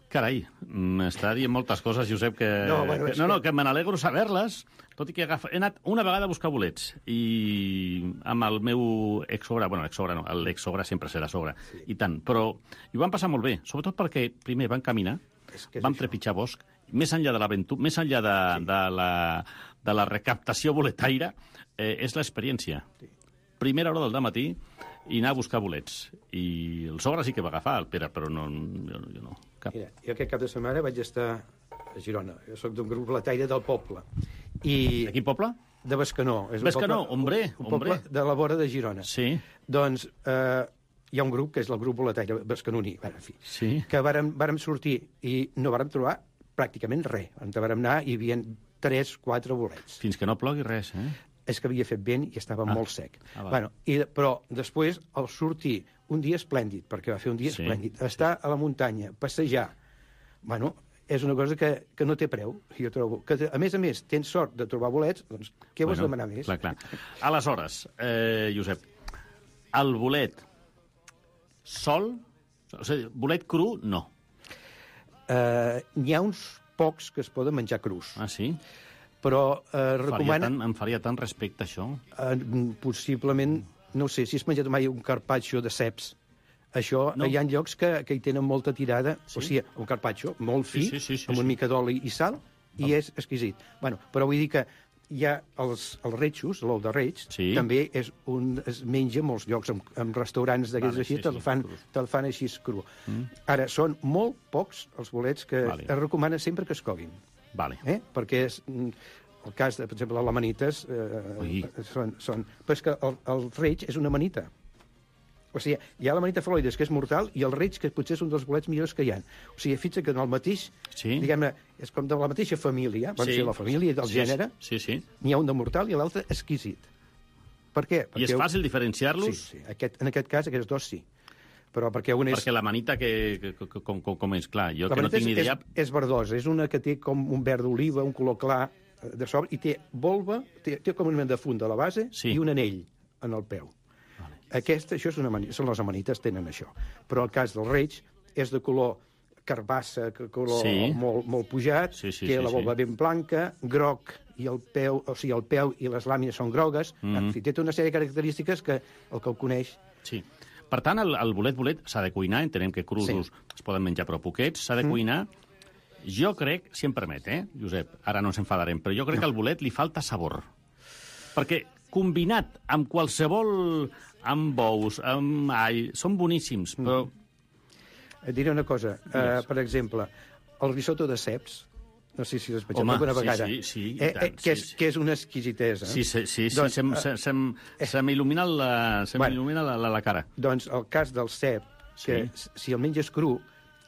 Carai, m'està dient moltes coses, Josep, que... No, bueno, que, és no, que- no, que me n'alegro saber-les, tot i que agafa... he anat una vegada a buscar bolets i amb el meu exsogre, bueno, exsogre no, l'exsogre sempre serà sogre, sí. I tant, però i ho van passar molt bé, sobretot perquè primer van caminar, És que és van això. trepitjar bosc, més enllà de l'aventura, més enllà de, sí. de, la, de la recaptació boletaire, eh, és l'experiència. Sí. Primera hora del matí i anar a buscar bolets. I el sogre sí que va agafar, el Pere, però no, jo, jo no. Cap. Mira, jo aquest cap de setmana vaig estar a Girona. Jo sóc d'un grup boletaire del poble. I... De quin poble? De Bescanó. És un Bescanó, poble- hombre, un poble hombre. de la vora de Girona. Sí. Doncs eh, hi ha un grup, que és el grup boletaire bescanoní, bueno, en fi, Sí. que vàrem, vàrem sortir i no vàrem trobar pràcticament res. On vàrem anar hi havia tres, quatre bolets. Fins que no plogui res, eh? És que havia fet vent i estava Ah. molt sec. Ah, va. bueno, i, però després, al sortir, un dia esplèndid, perquè va fer un dia Sí, esplèndid, estar a la muntanya, passejar, bueno, és una cosa que, que no té preu, jo trobo. Que, a més a més, tens sort de trobar bolets, doncs què vols demanar més? Clar, clar. Aleshores, eh, Josep, el bolet sol, o sigui, bolet cru, no. Eh, N'hi ha uns pocs que es poden menjar crus, Ah, sí? però eh, Faria recomana... tant, em faria tant respecte, això. Eh, possiblement, no sé, si has menjat mai un carpaccio de ceps, això, No. no. hi ha llocs que, que hi tenen molta tirada, Sí? o sigui, un carpaccio molt fi, Sí, sí, sí, sí, amb sí. una mica d'oli i sal, i és exquisit. Bueno, però vull dir que hi ha els, els retxos, l'ou de reig, Sí. també és un, es menja en molts llocs, en, en restaurants d'aquests Vale, així, sí, te'l sí, fan, crus. te fan així cru. Mm. Ara, són molt pocs els bolets que Vale. es recomana sempre que es coguin, Vale. eh? perquè és... mm, el cas, de, per exemple, les amanites Ui. eh, són, són... Però és que el, el reig és una amanita. O sigui, hi ha l'amanita faloides, que és mortal, i el reig, que potser és un dels bolets millors que hi ha. O sigui, fixa't que en el mateix, Sí. diguem-ne, és com de la mateixa família, van Sí. ser la família del Sí, gènere, Sí, sí. n'hi ha un de mortal i l'altre exquisit. Per què? I és fàcil Sí, diferenciar-los? sí. Aquest, en aquest cas, aquests dos sí. Però perquè un és... Perquè la manita, que, que, que, com, com, com és? Clar, jo La que no manita tinc ni és, idea... és, és verdosa, és una que té com un verd d'oliva, un color clar eh, de sobre, i té volva, té, té com un mena de fund a la base Sí. i un anell en el peu. Vale. Aquesta, això és una amani- són les amanites, tenen això. Però el cas del reig és de color carbassa, que color Sí. molt, molt pujat, Sí, sí, té sí, la volva sí. ben blanca, groc, i el peu, o sigui, el peu i les làmines són grogues. Mhm. En fi, té tota una sèrie de característiques que el que el coneix... Sí. Per tant, el, el bolet-bolet s'ha de cuinar, entenem que crudos sí. es poden menjar però poquets, s'ha de Mm. cuinar. Jo crec, si em permet, eh, Josep, ara no ens enfadarem, però jo crec No. que al bolet li falta sabor. Perquè combinat amb qualsevol... amb bous, amb all, són boníssims, però... Et diré una cosa, uh, Digues. per exemple, el risotto de ceps, no sé si l'has menjat Home, alguna sí, vegada, sí, sí, i eh, tant, eh, que, és, sí, sí. que és una exquisitesa. Sí, sí, sí, sí Doncs, se'm, eh, se, se'm, se m'il·lumina la, se Bueno. m'il·lumina la, la, la cara. Doncs el cas del cep, que Sí. si el menges cru,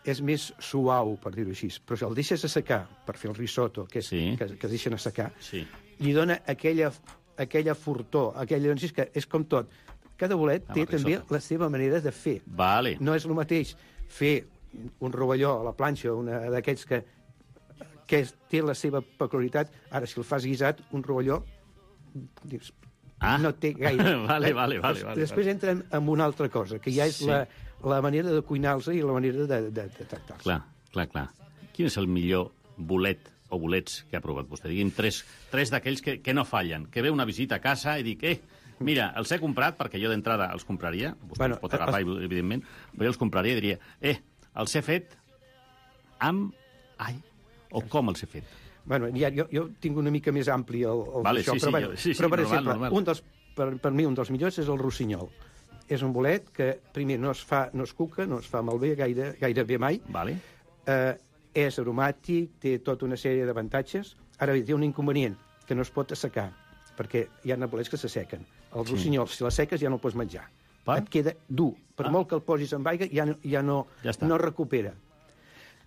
és més suau, per dir-ho així, però si el deixes assecar per fer el risotto, que, és, Sí. que, que es deixen assecar, Sí. li dona aquella, aquella fortor, aquella... És que és com tot. Cada bolet Amb té el també risotto. la seva manera de fer. Vale. No és el mateix fer un rovelló a la planxa, una d'aquests que, que és, té la seva peculiaritat. Ara, si el fas guisat, un rovelló, dius, Ah. no té gaire. Vale, vale, vale, Des- vale, Després entrem en una altra cosa, que ja és Sí. la, la manera de cuinar-los i la manera de, de, de tractar-los. Clar, clar, clar. Quin és el millor bolet o bolets que ha provat vostè? Digui'm tres, tres d'aquells que, que no fallen, que ve una visita a casa i dic, eh, Mira, els he comprat perquè jo d'entrada els compraria, vostè Bueno, els pot agafar, eh, evidentment, però jo els compraria i diria, eh, els he fet amb... Ai, o com els he fet? Bueno, ja, jo, jo tinc una mica més ampli el, el Vale, això, sí, però, sí, bueno, jo- sí, sí, però per normal, exemple, normal. un dels, per, per mi un dels millors és el rossinyol. És un bolet que, primer, no es fa, no es cuca, no es fa malbé gaire, gairebé mai, Vale. eh, és aromàtic, té tota una sèrie d'avantatges. Ara bé, té un inconvenient, que no es pot assecar, perquè hi ha bolets que s'assequen. El Sí. rossinyol, si l'asseques, ja no el pots menjar. Per? Et queda dur. Per Ah. molt que el posis amb aigua, ja, no- ja, no, Ja està. no recupera.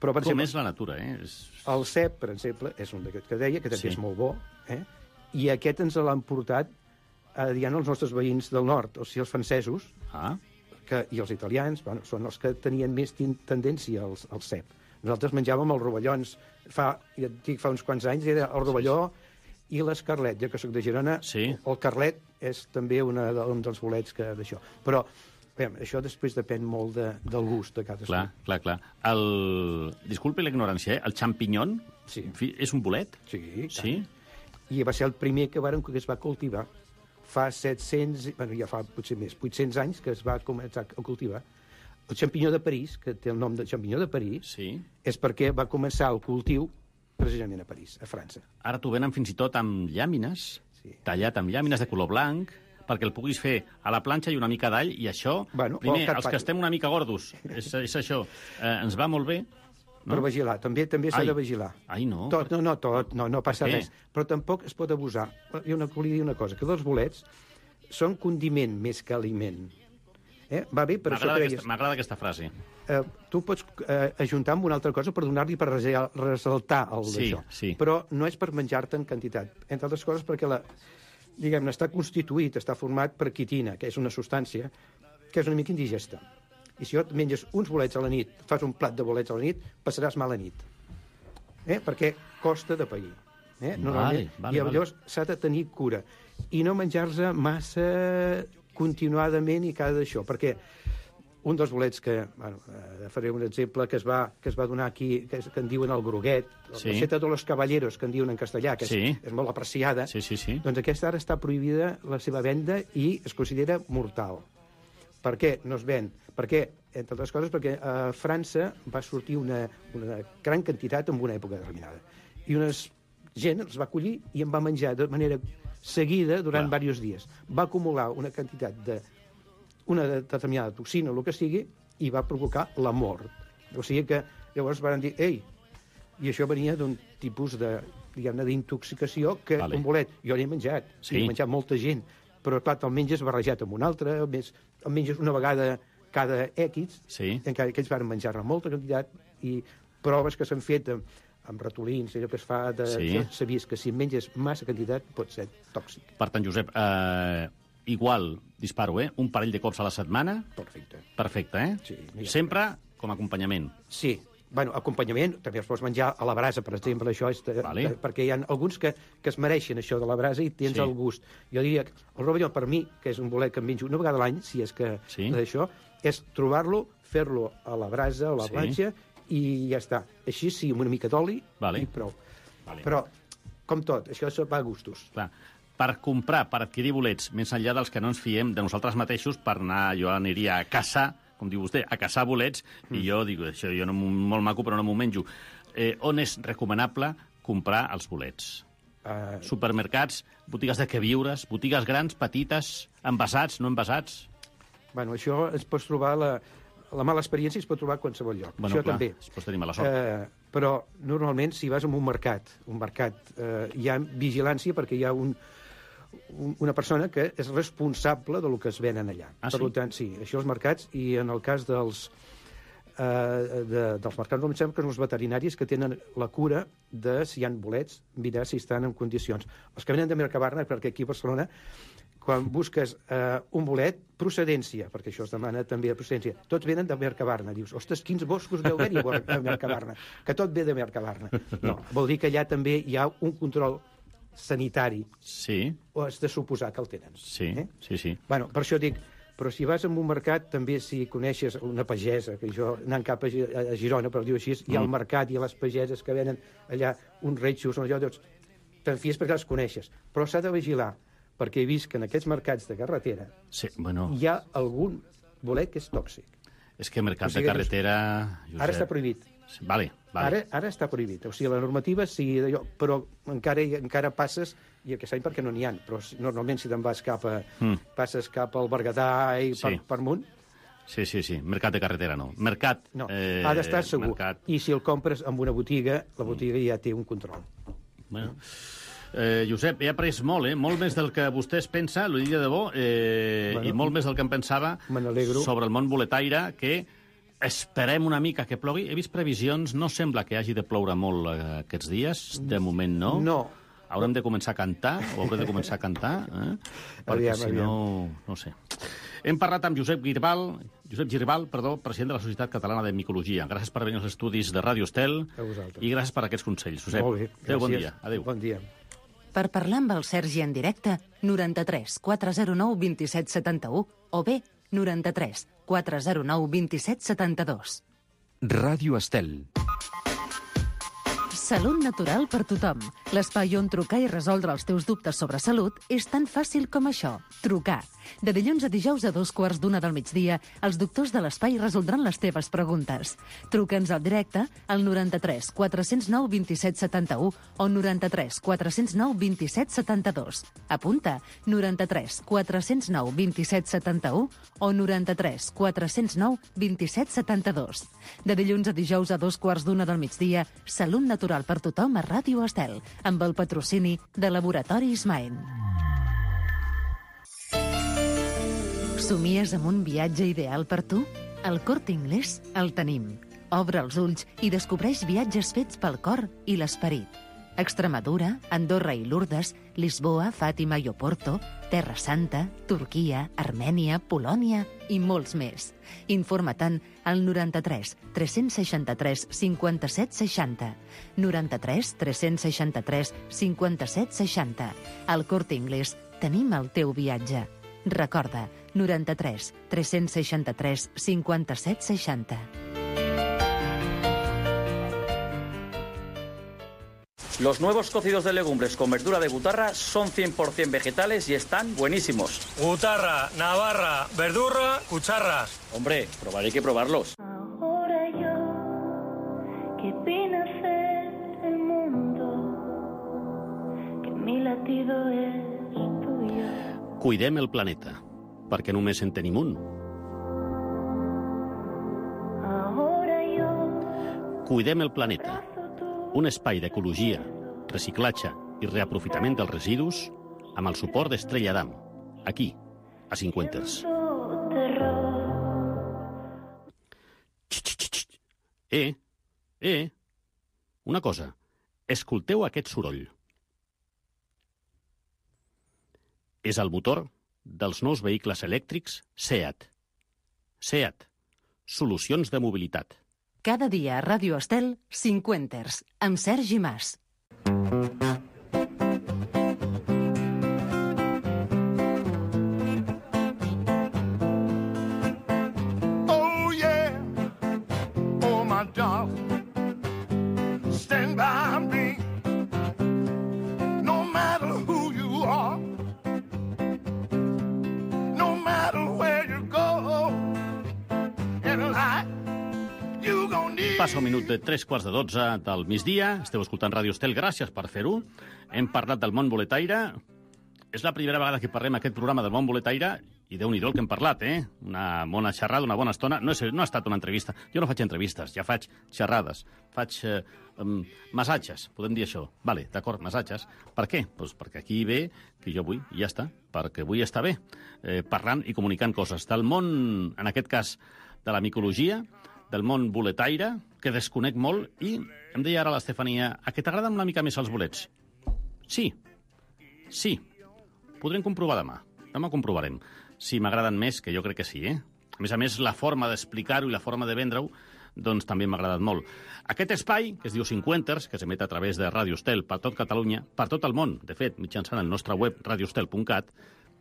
Però, per Com exemple, és la natura, eh? És... el cep, per exemple, és un d'aquests que deia, que també Sí. és molt bo, eh? I aquest ens l'han portat a diguem, els nostres veïns del nord, o sigui, els francesos, Ah, que, i els italians, bueno, són els que tenien més tin- tendència al, al cep. Nosaltres menjàvem els rovellons, fa, ja et dic, fa uns quants anys, era el rovelló i l'escarlet. Jo que sóc de Girona, Sí. el carlet és també una de, un dels bolets que d'això. Però, bé, això després depèn molt de, del gust de cadascú. clar, clar, clar. El... Disculpi la ignorància, eh? El xampinyon Sí. en fi, és un bolet? Sí, i tant. Sí? I va ser el primer que, varen, que es va cultivar. Fa set-cents, bueno, ja fa potser més, vuit-cents anys que es va començar a cultivar. El xampinyó de París, que té el nom de xampinyó de París, Sí. és perquè va començar el cultiu precisament a París, a França. Ara t'ho venen fins i tot amb llàmines, Sí. tallat amb llàmines de color blanc, perquè el puguis fer a la planxa i una mica d'all, i això, Bueno, primer, o que et els fa- que estem una mica gordos, és, és això, eh, ens va molt bé. No? Per vigilar, també també s'ha Ai. de vigilar. Ai, no. Tot, no, no, tot, no, no passa Per què? res. Però tampoc es pot abusar. Hi ha una, volia dir una cosa, que els bolets són condiment més que aliment. Eh? Va bé, per això M'agrada cregues... aquesta, m'agrada aquesta frase. eh, tu pots eh, ajuntar amb una altra cosa per donar-li, per rese- ressaltar el Sí, d'això. sí. Però no és per menjar-te en quantitat. Entre altres coses perquè la, diguem-ne, està constituït, està format per quitina, que és una substància que és una mica indigesta. I si jo et menges uns bolets a la nit, fas un plat de bolets a la nit, passaràs mala nit. Eh? Perquè costa de pair. Eh? Normalment, vale, I vale. llavors s'ha de tenir cura. I no menjar-se massa continuadament i cada d'això, perquè un dels bolets que, bueno, eh, faré un exemple que es va, que es va donar aquí, que, és, que en diuen el groguet, Sí. la seta de los caballeros, que en diuen en castellà, que és, Sí. és molt apreciada, Sí, sí, sí. doncs aquesta ara està prohibida la seva venda i es considera mortal. Per què no es ven? Perquè, entre altres coses, perquè a França va sortir una, una gran quantitat en una època determinada. I una gent els va collir i en va menjar de manera seguida durant Clar. diversos dies. Va acumular una quantitat de una determinada toxina o el que sigui i va provocar la mort. O sigui que llavors van dir, ei, i això venia d'un tipus de, diguem-ne, d'intoxicació que Vale. un bolet, jo l'he menjat, Sí. l'he menjat molta gent, però clar, te'l menges barrejat amb un altre, el, més, el menges una vegada cada X, Sí. encara que ells van menjar-ne molta quantitat, i proves que s'han fet amb, amb ratolins, allò que es fa, de, Sí. s'ha vist que si en menges massa quantitat pot ser tòxic. Per tant, Josep, eh, igual, disparo, eh? Un parell de cops a la setmana, Perfecte. perfecte, eh? Sí, mira. Sempre com a acompanyament. Sí, bueno, acompanyament, també els pots menjar a la brasa, per exemple, això és de, Vale. de, perquè hi ha alguns que, que es mereixen això de la brasa i tens Sí. el gust. Jo diria que el rovelló, per mi, que és un bolet que em menjo una vegada a l'any, si és que Sí. d'això, és trobar-lo, fer-lo a la brasa o a la Sí. planxa i ja està. Així sí, amb una mica d'oli Vale. i prou. Vale. Però, com tot, això va a gustos. Clar, per comprar, per adquirir bolets, més enllà dels que no ens fiem de nosaltres mateixos, per anar, jo aniria a caçar, com diu vostè, a caçar bolets, mm. i jo dic, això jo no, m'ho- molt maco, però no m'ho menjo. Eh, on és recomanable comprar els bolets? Uh, Supermercats, botigues de queviures, botigues grans, petites, envasats, no envasats? bueno, això es pot trobar, la, la mala experiència es pot trobar a qualsevol lloc. Bueno, això clar, també. es pot tenir mala sort. Eh, però normalment si vas a un mercat, un mercat eh, hi ha vigilància perquè hi ha un, un, una persona que és responsable de lo que es venen allà. Ah, per sí? tant, sí, això els mercats, i en el cas dels, eh, de, dels mercats, em sembla que són els veterinaris que tenen la cura de si hi ha bolets, mirar si estan en condicions. Els que venen de Mercabarna, perquè aquí a Barcelona, quan busques eh, un bolet, procedència, perquè això es demana també de procedència, tots venen de Mercabarna. Dius, ostres, quins boscos deu haver-hi a Mercabarna, que tot ve de Mercabarna. No, vol dir que allà també hi ha un control sanitari, Sí, o has de suposar que el tenen. sí, Eh? sí, sí. Bueno, per això dic, però si vas a un mercat, també si coneixes una pagesa, que jo anant cap a, Gi- a Girona, per dir-ho així, hi ha el Mm. mercat i les pageses que venen allà uns reixos, allò, doncs, te'n fies perquè els coneixes. Però s'ha de vigilar, perquè he vist que en aquests mercats de carretera Sí, bueno, hi ha algun bolet que és tòxic. és que mercat O sigui, de carretera... Josep, Ara està prohibit. Sí, Vale, vale. Ara, ara està prohibit. O sigui, la normativa sí d'allò, però encara, encara passes, i aquest any perquè no n'hi ha, però si- normalment si te'n vas cap a... Mm. passes cap al Berguedà i per, Sí. per amunt, Sí, sí, sí. Mercat de carretera no. Mercat... no, eh, ha d'estar segur. Mercat... I si el compres en una botiga, la botiga ja té un control. Bueno. Eh, Josep, he après molt, eh? Molt més del que vostè es pensa, l'ho dic de debò, eh, Bueno, i molt més del que em pensava me n'alegro. sobre el món boletaire, que esperem una mica que plogui. He vist previsions, no sembla que hagi de ploure molt eh, aquests dies, de moment no. No. Haurem de començar a cantar, o haurem de començar a cantar, eh? perquè Aviam, si no... no sé. Hem parlat amb Josep Girbal, Josep Girbal, perdó, president de la Societat Catalana de Micologia. Gràcies per venir als estudis de Ràdio Estel A vosaltres. i gràcies per aquests consells. Josep, Molt bé, adéu, bon gràcies. dia. Adéu. Bon dia. Per parlar amb el Sergi en directe, noranta-tres quatre zero nou vint set setanta-u o bé noranta-tres quatre zero nou vint set setanta-dos. Ràdio Estel. Salut natural per tothom. L'espai on trucar i resoldre els teus dubtes sobre salut és tan fàcil com això. Trucar. De dilluns a dijous a dos quarts d'una del migdia, els doctors de l'espai resoldran les teves preguntes. Truca'ns al directe al noranta-tres quatre zero nou vint set setanta-u o noranta-tres quatre zero nou vint set setanta-dos. Apunta, noranta-tres quatre zero nou vint set setanta-u o noranta-tres quatre zero nou vint set setanta-dos. De dilluns a dijous a dos quarts d'una del migdia, Salut natural per tothom a Ràdio Estel, amb el patrocini de Laboratoris Maen. Somies amb un viatge ideal per tu? Al Corte Inglés el tenim. Obre els ulls i descobreix viatges fets pel cor i l'esperit. Extremadura, Andorra i Lourdes, Lisboa, Fàtima i Oporto, Terra Santa, Turquia, Armènia, Polònia i molts més. Informa-te'n al noranta-tres tres seixanta-tres cinquanta-set seixanta. noranta-tres tres seixanta-tres cinquanta-set seixanta. Al Corte Inglés tenim el teu viatge. Recorda, noranta-tres tres seixanta-tres cinquanta-set seixanta. Los nuevos cocidos de legumbres con verdura de butarra son cien por ciento vegetales y están buenísimos. Butarra, navarra, verdurra, cucharras. Hombre, probar hay que probarlos. Ahora yo, que vine a ser el mundo, que mi latido es tuyo. Cuidem el planeta, perquè només en tenim un. Ahora yo, Cuidem el planeta, un espai d'ecologia, reciclatge i reaprofitament dels residus amb el suport d'Estrella Damm, aquí, a Cinquenters. terror. Eh, eh, una cosa, escolteu aquest soroll. És el motor dels nous vehicles elèctrics SEAT. SEAT, solucions de mobilitat. Cada dia a Ràdio Estel, Cinquenters, amb Sergi Mas. Oh, yeah. Oh, my darling. Stand by me. No matter who you are. No matter where you go. In life, you gonna need... Passa un minut de tres quarts de dotze del migdia. Esteu escoltant Ràdio Estel, gràcies per fer-ho. Hem parlat del món boletaire. És la primera vegada que parlem aquest programa del món boletaire i déu-n'hi-do el que hem parlat, eh? Una bona xerrada, una bona estona. No, és, no ha estat una entrevista. Jo no faig entrevistes, ja faig xerrades. Faig eh, um, massatges, podem dir això. Vale, d'acord, massatges. Per què? Pues perquè aquí ve que jo vull, i ja està. Perquè vull estar bé, eh, parlant i comunicant coses. Del món, en aquest cas, de la micologia, del món boletaire, que desconec molt, i em deia ara l'Estefania, a què t'agraden una mica més els bolets? Sí, sí. Podrem comprovar demà. Demà comprovarem si m'agraden més, que jo crec que sí, eh? A més a més, la forma d'explicar-ho i la forma de vendre-ho doncs també m'ha agradat molt. Aquest espai, que es diu Cinquenters, que s'emet a través de Ràdio Estel per tot Catalunya, per tot el món, de fet, mitjançant el nostre web radiostel punt cat,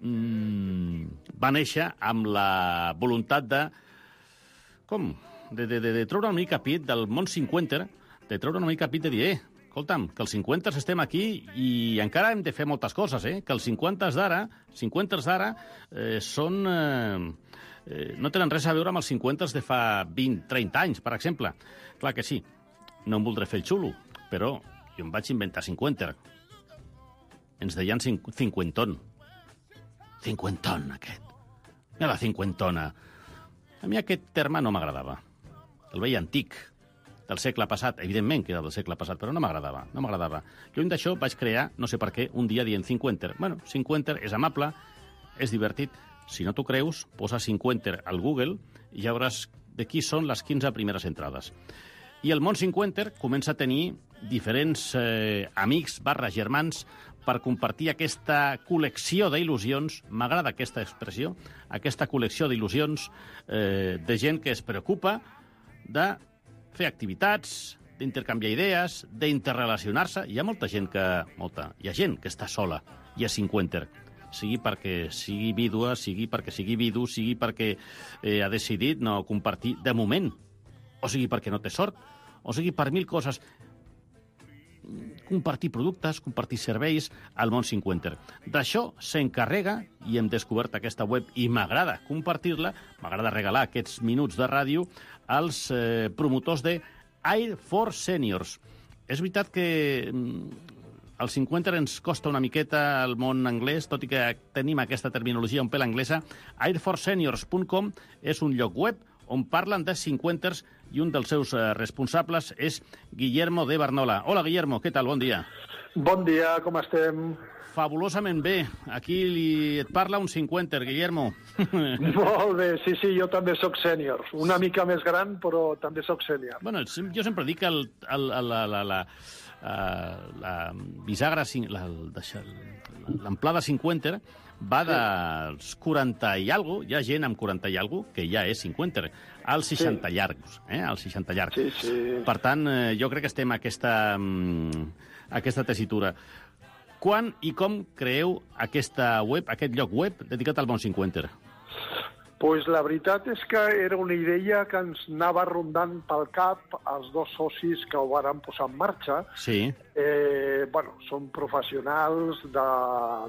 mmm, va néixer amb la voluntat de... Com? De, de, de, de treure una mica pit del món cinquenter, de treure una mica pit de dir, eh, escolta'm, que els cinquanta estem aquí i encara hem de fer moltes coses, eh? Que els cinquanta d'ara, cinquanta d'ara, eh, són... Eh, eh, no tenen res a veure amb els cinquanta de fa vint, trenta anys, per exemple. Clar que sí, no em voldré fer el xulo, però jo em vaig inventar cinquanta. Ens deien cinc cinquenton. Cinquenton, aquest. Mira la cinquentona. A mi aquest terme no m'agradava. El veia antic, del segle passat. Evidentment que era del segle passat, però no m'agradava. No m'agradava. Lluny d'això vaig crear, no sé per què, un dia dient cinquanta. Bueno, cinquanta és amable, és divertit. Si no t'ho creus, posa cinquanta al Google i ja veuràs de qui són les quinze primeres entrades. I el món cinquanta comença a tenir diferents eh, amics barra germans per compartir aquesta col·lecció d'il·lusions, m'agrada aquesta expressió, aquesta col·lecció d'il·lusions eh, de gent que es preocupa de fer activitats, d'intercanviar idees, d'interrelacionar-se. Hi ha molta gent que... Molta, hi ha gent que està sola i és cinquanta. Sigui perquè sigui vídua, sigui perquè sigui vidu, sigui perquè eh, ha decidit no compartir de moment, o sigui perquè no té sort, o sigui per mil coses. Compartir productes, compartir serveis al món cinquanta. D'això s'encarrega, i hem descobert aquesta web i m'agrada compartir-la, m'agrada regalar aquests minuts de ràdio als eh, promotors de Air for Seniors. És veritat que mm, als cinquanta ens costa una miqueta el món anglès, tot i que tenim aquesta terminologia un pèl anglesa. air for seniors punt com és un lloc web on parlen de cinquanters i un dels seus eh, responsables és Guillermo de Barnola. Hola, Guillermo, què tal? Bon dia. Bon dia, com estem? Fabulosament bé. Aquí li... et parla un cinquenter, Guillermo. Molt bé, sí, sí, jo també sóc sènior. Una mica més gran, però també sóc sènior. Bueno, jo sempre dic que el, el, el, la, la, la, la bisagra, l'amplada cinquanta va dels quaranta i alguna cosa, hi ha gent amb quaranta i alguna cosa que ja és cinquanta, als seixanta sí. llargs, eh? als seixanta llargs. Sí, sí. Per tant, jo crec que estem a aquesta, aquesta tessitura. Quan i com creeu aquesta web, aquest lloc web dedicat al món cinquanta? Pues la veritat és que era una idea que ens anava rondant pel cap els dos socis que ho varen posar en marxa. Sí. Eh, bueno, són professionals de,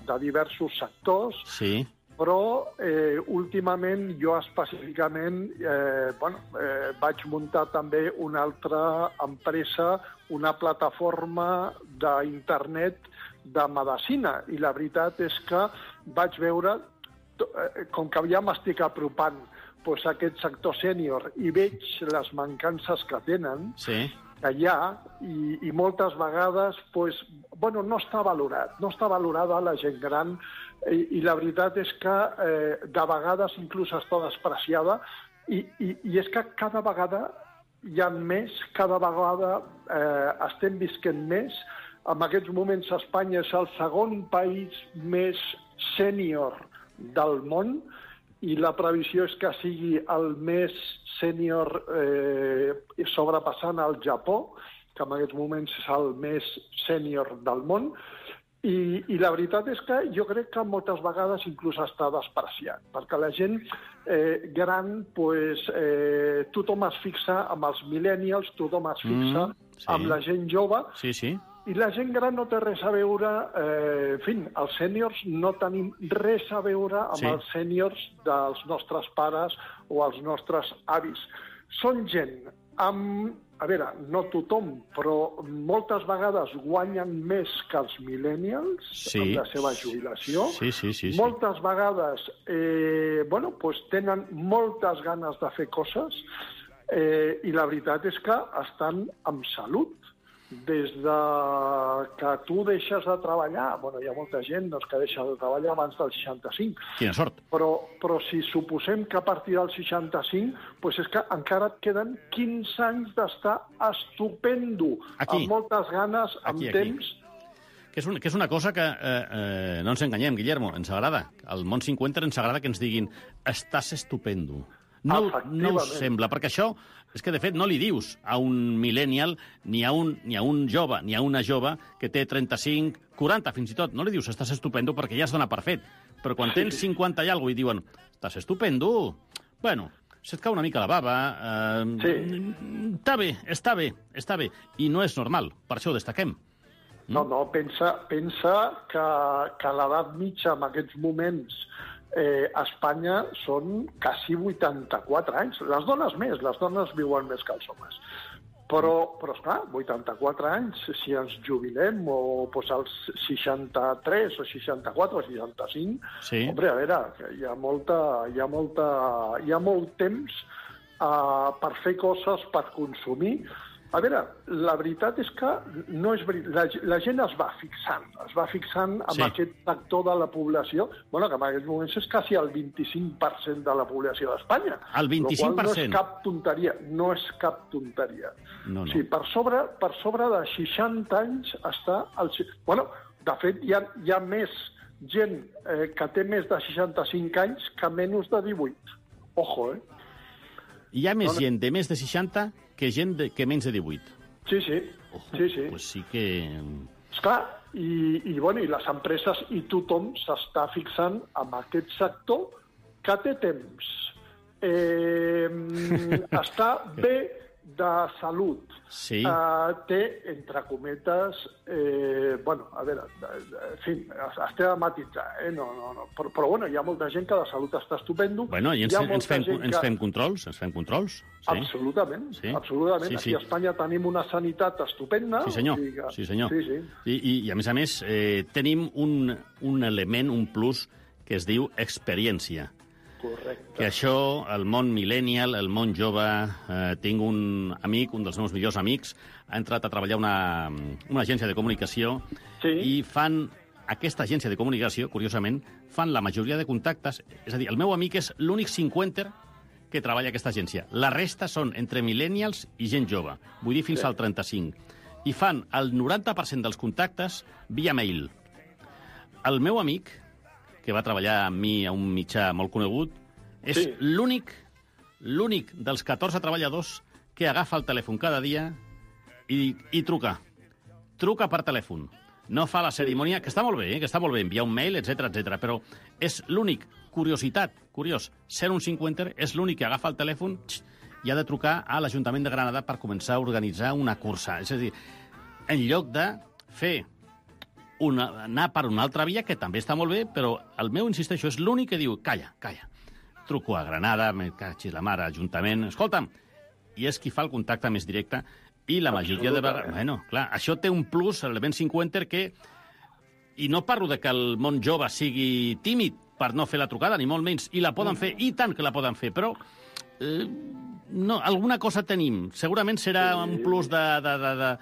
de diversos sectors, sí. però eh, últimament jo específicament eh, bueno, eh, vaig muntar també una altra empresa, una plataforma d'internet de medicina, i la veritat és que vaig veure, com que ja m'estic apropant pues, a aquest sector sènior i veig les mancances que tenen, sí. que hi ha, i, i moltes vegades pues, bueno, no està valorat, no està valorada la gent gran, i, i la veritat és que eh, de vegades inclús està despreciada, i, i, i és que cada vegada hi ha més, cada vegada eh, estem visquent més. En aquests moments Espanya és el segon país més sènior del món i la previsió és que sigui el més sènior eh, sobrepassant el Japó, que en aquests moments és el més sènior del món, i, i la veritat és que jo crec que moltes vegades inclús està despreciat, perquè la gent eh, gran, pues, eh, tothom es fixa amb els millennials, tothom es fixa mm, sí. amb la gent jove, sí, sí. i la gent gran no té res a veure, eh, en fi, els sèniors no tenim res a veure amb sí. els sèniors dels nostres pares o els nostres avis. Són gent amb, a veure, no tothom, però moltes vegades guanyen més que els millennials sí. amb la seva jubilació. Sí, sí, sí, sí. Moltes vegades eh, bueno, pues tenen moltes ganes de fer coses eh, i la veritat és que estan amb salut. Des de que tu deixes de treballar, bueno, hi ha molta gent doncs, que deixa de treballar abans del seixanta-cinc. Quina sort. Però, però si suposem que a partir del seixanta-cinc, doncs és que encara et queden quinze anys d'estar estupendo, aquí. Amb moltes ganes, amb aquí, aquí. temps. Que és, un, que és una cosa que eh, eh, no ens enganyem, Guillermo, ens agrada. Al món cinquanta ens agrada que ens diguin estàs estupendo. No, no us sembla, perquè això és que, de fet, no li dius a un millennial, ni a un, ni a un jove, ni a una jove que té trenta-cinc, quaranta, fins i tot. No li dius estàs estupendo perquè ja es dona per fet. Però quan tens cinquanta i alguna cosa i diuen estàs estupendo, bueno, se't cau una mica la bava... Eh, Sí. Està bé, està bé, està bé. I no és normal, per això ho destaquem. No, no, pensa, pensa que, que l'edat mitja en aquests moments eh, a Espanya són quasi vuitanta-quatre anys. Les dones més, les dones viuen més que els homes. Però, però esclar, vuitanta-quatre anys, si ens jubilem, o pues, als seixanta-tres, o seixanta-quatre, o seixanta-cinc, sí. Hombre, a veure, hi ha, molta, hi ha, molta, hi ha molt temps uh, per fer coses, per consumir. A veure, la veritat és que no és veri... la, la gent es va fixant, es va fixant amb Sí. aquest sector de la població, bueno, que en aquests moments és quasi el vint-i-cinc per cent de la població d'Espanya. El vint-i-cinc per cent? No és cap tonteria, no és cap tonteria. No, no. Sí, per sobre, per sobre de seixanta anys està... El... Bueno, de fet, hi ha, hi ha més gent eh, que té més de seixanta-cinc anys que menys de divuit. Ojo, eh? Hi ha més No, no. gent de més de seixanta que gent de, que menys de divuit. Sí, sí. Ojo, sí, sí. Pues sí que... Esclar, i, i, bueno, i les empreses i tothom s'està fixant en aquest sector que té temps. Eh, està bé de salut. Sí. Uh, té, entre cometes, eh, bueno, a veure, en fi, es té de matitzar, eh? No, no, no. Però, però, bueno, hi ha molta gent que la salut està estupendo. Bueno, i ens, Hi ha ens, molta fem, gent ens que- fem controls, ens fem controls. Sí. Absolutament, Sí. absolutament. Sí, sí. Aquí a Espanya tenim una sanitat estupenda. Sí, senyor. o sigui que- Sí, senyor. Sí, sí. I, i, I, a més a més, eh, tenim un, un element, un plus, que es diu experiència. Correcte. Que això, el món millennial, el món jove... Eh, tinc un amic, un dels meus millors amics, ha entrat a treballar a una, una agència de comunicació Sí. i fan... Aquesta agència de comunicació, curiosament, fan la majoria de contactes... És a dir, el meu amic és l'únic cinquenter que treballa a aquesta agència. La resta són entre millennials i gent jove, vull dir fins Sí. al trenta-cinc. I fan el noranta per cent dels contactes via mail. El meu amic, que va treballar amb mi a un mitjà molt conegut, és Sí. l'únic l'únic dels catorze treballadors que agafa el telèfon cada dia i, i truca. Truca per telèfon. No fa la cerimònia, que està molt bé, eh? que està molt bé, enviar un mail, etcètera, etcètera, però és l'únic, curiositat, curiós, ser un cinquenter, és l'únic que agafa el telèfon tx, i ha de trucar a l'Ajuntament de Granada per començar a organitzar una cursa. És a dir, en lloc de fer una, anar per una altra via, que també està molt bé, però el meu, insisteixo, és l'únic que diu, calla, calla, truco a Granada, me cachis la mare, Ajuntament, escolta'm, i és qui fa el contacte més directe, i la majoria de vegades... Bueno, clar, això té un plus, l'element cinquenter, que... I no parlo de que el món jove sigui tímid per no fer la trucada, ni molt menys, i la poden fer, i tant que la poden fer, però... Eh, no, alguna cosa tenim. Segurament serà un plus de... de, de, de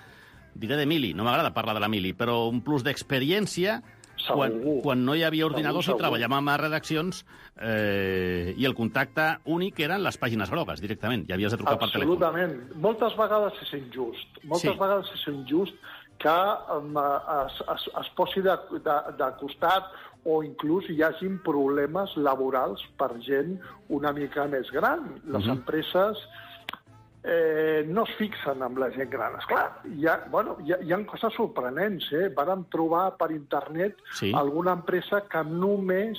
diré de mili, no m'agrada parlar de la mili, però un plus d'experiència quan, quan no hi havia ordinadors Segur, i treballàvem a redaccions eh, i el contacte únic eren les pàgines grogues, directament. I havies de trucar per telèfon. Absolutament. Moltes vegades és injust. Moltes Sí. vegades és injust que um, es, es, es posi de, de, de costat o inclús hi hagin problemes laborals per gent una mica més gran. Les Mhm. empreses eh, no es fixen amb la gent gran. Esclar, hi ha, bueno, hi ha, hi ha coses sorprenents. Eh? Vàrem trobar per internet Sí. alguna empresa que només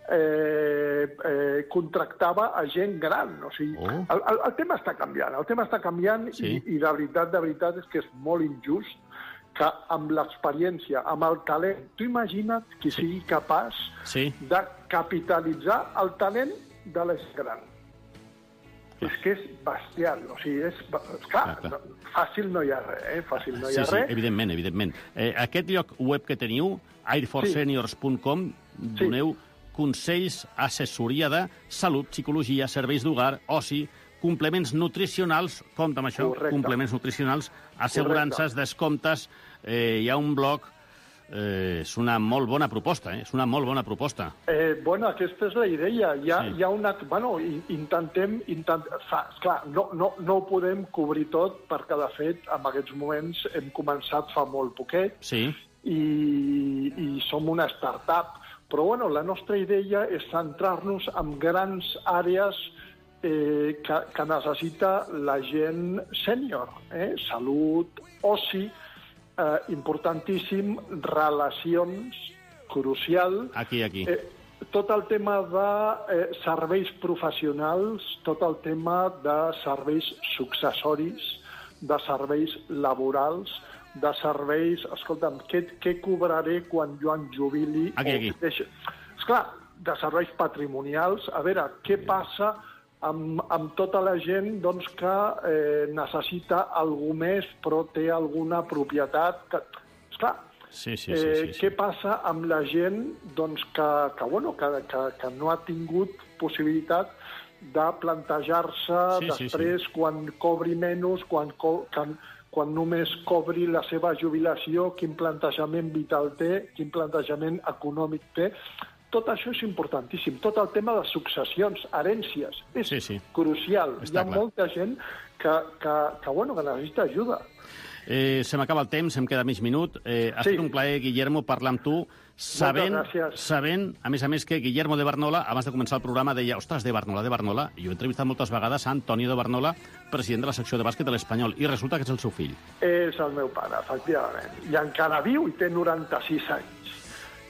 eh, eh, contractava a gent gran. O sigui, Oh. el, el, el tema està canviant, el tema està canviant Sí. i, i la veritat, de veritat, és que és molt injust que amb l'experiència, amb el talent, tu imagina't qui sí. sigui capaç Sí. de capitalitzar el talent de la gent gran. És que és bestial, o sigui, és... és clar, Clar, clar. no, fàcil no hi ha res, eh? Fàcil no hi Sí, ha sí, res. evidentment, evidentment. Eh, aquest lloc web que teniu, air force seniors punt com, doneu consells, assessoria de salut, psicologia, serveis d'hogar, oci, complements nutricionals, compte amb això, Correcte. complements nutricionals, assegurances, descomptes, eh, hi ha un blog, eh, és una molt bona proposta, eh? és una molt bona proposta. Eh, bueno, aquesta és la idea. Hi ha, Sí. hi ha una... Bueno, in- intentem... Intent, fa, esclar, no, no, no ho podem cobrir tot perquè, de fet, en aquests moments hem començat fa molt poquet Sí, i, i som una start-up. Però, bueno, la nostra idea és centrar-nos en grans àrees eh, que, que necessita la gent sènior. Eh? Salut, oci, eh, importantíssim, relacions, crucial. aquí, aquí. Eh, tot el tema de eh, serveis professionals, tot el tema de serveis successoris, de serveis laborals, de serveis... Escolta'm, què, què cobraré quan jo em jubili? Aquí, aquí. Deixa... Esclar, de serveis patrimonials, a veure, què passa amb, amb tota la gent doncs, que eh, necessita algú més però té alguna propietat? Que... Esclar, sí, sí, sí, eh, sí, sí. què passa amb la gent doncs, que, que, bueno, que, que, que no ha tingut possibilitat de plantejar-se sí, després, sí, sí. quan cobri menys, quan, co quan, quan només cobri la seva jubilació, quin plantejament vital té, quin plantejament econòmic té. Tot això és importantíssim. Tot el tema de successions, herències, és sí, sí. crucial. Està Hi ha clar. molta gent que, que, que, bueno, que necessita ajuda. Eh, se m'acaba el temps, em queda mig minut. Eh, ha sí. estat un plaer, Guillermo, parlar amb tu, sabent, sabent, a més a més, que Guillermo de Barnola, abans de començar el programa, deia, ostres, de Barnola, de Barnola, i jo he entrevistat moltes vegades a Antonio de Barnola, president de la secció de bàsquet de l'Espanyol, i resulta que és el seu fill. És el meu pare, efectivament. I encara viu i té noranta-sis anys.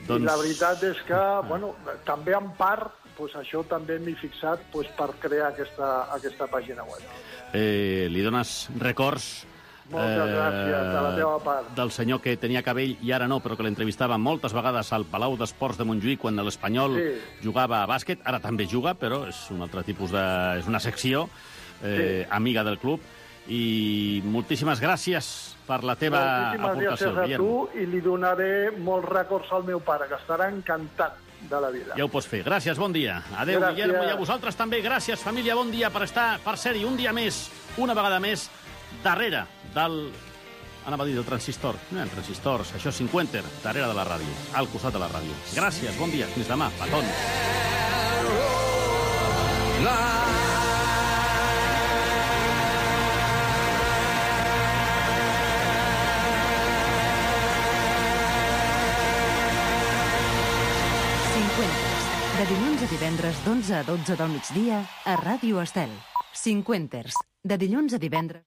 Doncs... I la veritat és que, bueno, també en part, pues, això també m'he fixat pues, per crear aquesta, aquesta pàgina web. Eh, li dones records Moltes eh, gràcies, de la teva part. Del senyor que tenia cabell i ara no, però que l'entrevistava moltes vegades al Palau d'Esports de Montjuïc quan l'Espanyol sí. jugava a bàsquet. Ara també juga, però és un altre tipus de... és una secció eh, sí. amiga del club. I moltíssimes gràcies per la teva moltíssimes aportació, gràcies a Guillermo. tu, i li donaré molts records al meu pare, que estarà encantat de la vida. Ja ho pots fer. Gràcies, bon dia. Adéu, gràcies. Guillermo, i a vosaltres també. Gràcies, família, bon dia per estar, per ser-hi un dia més, una vegada més, darrere del... anava a dir del transistor. No hi ha transistors, això és cinquanta, darrere de la ràdio, al costat de la ràdio. Gràcies, bon dia, fins demà, petons. De dilluns a divendres d'onze a dotze del migdia a Ràdio Estel. Cinquenters. De dilluns a divendres...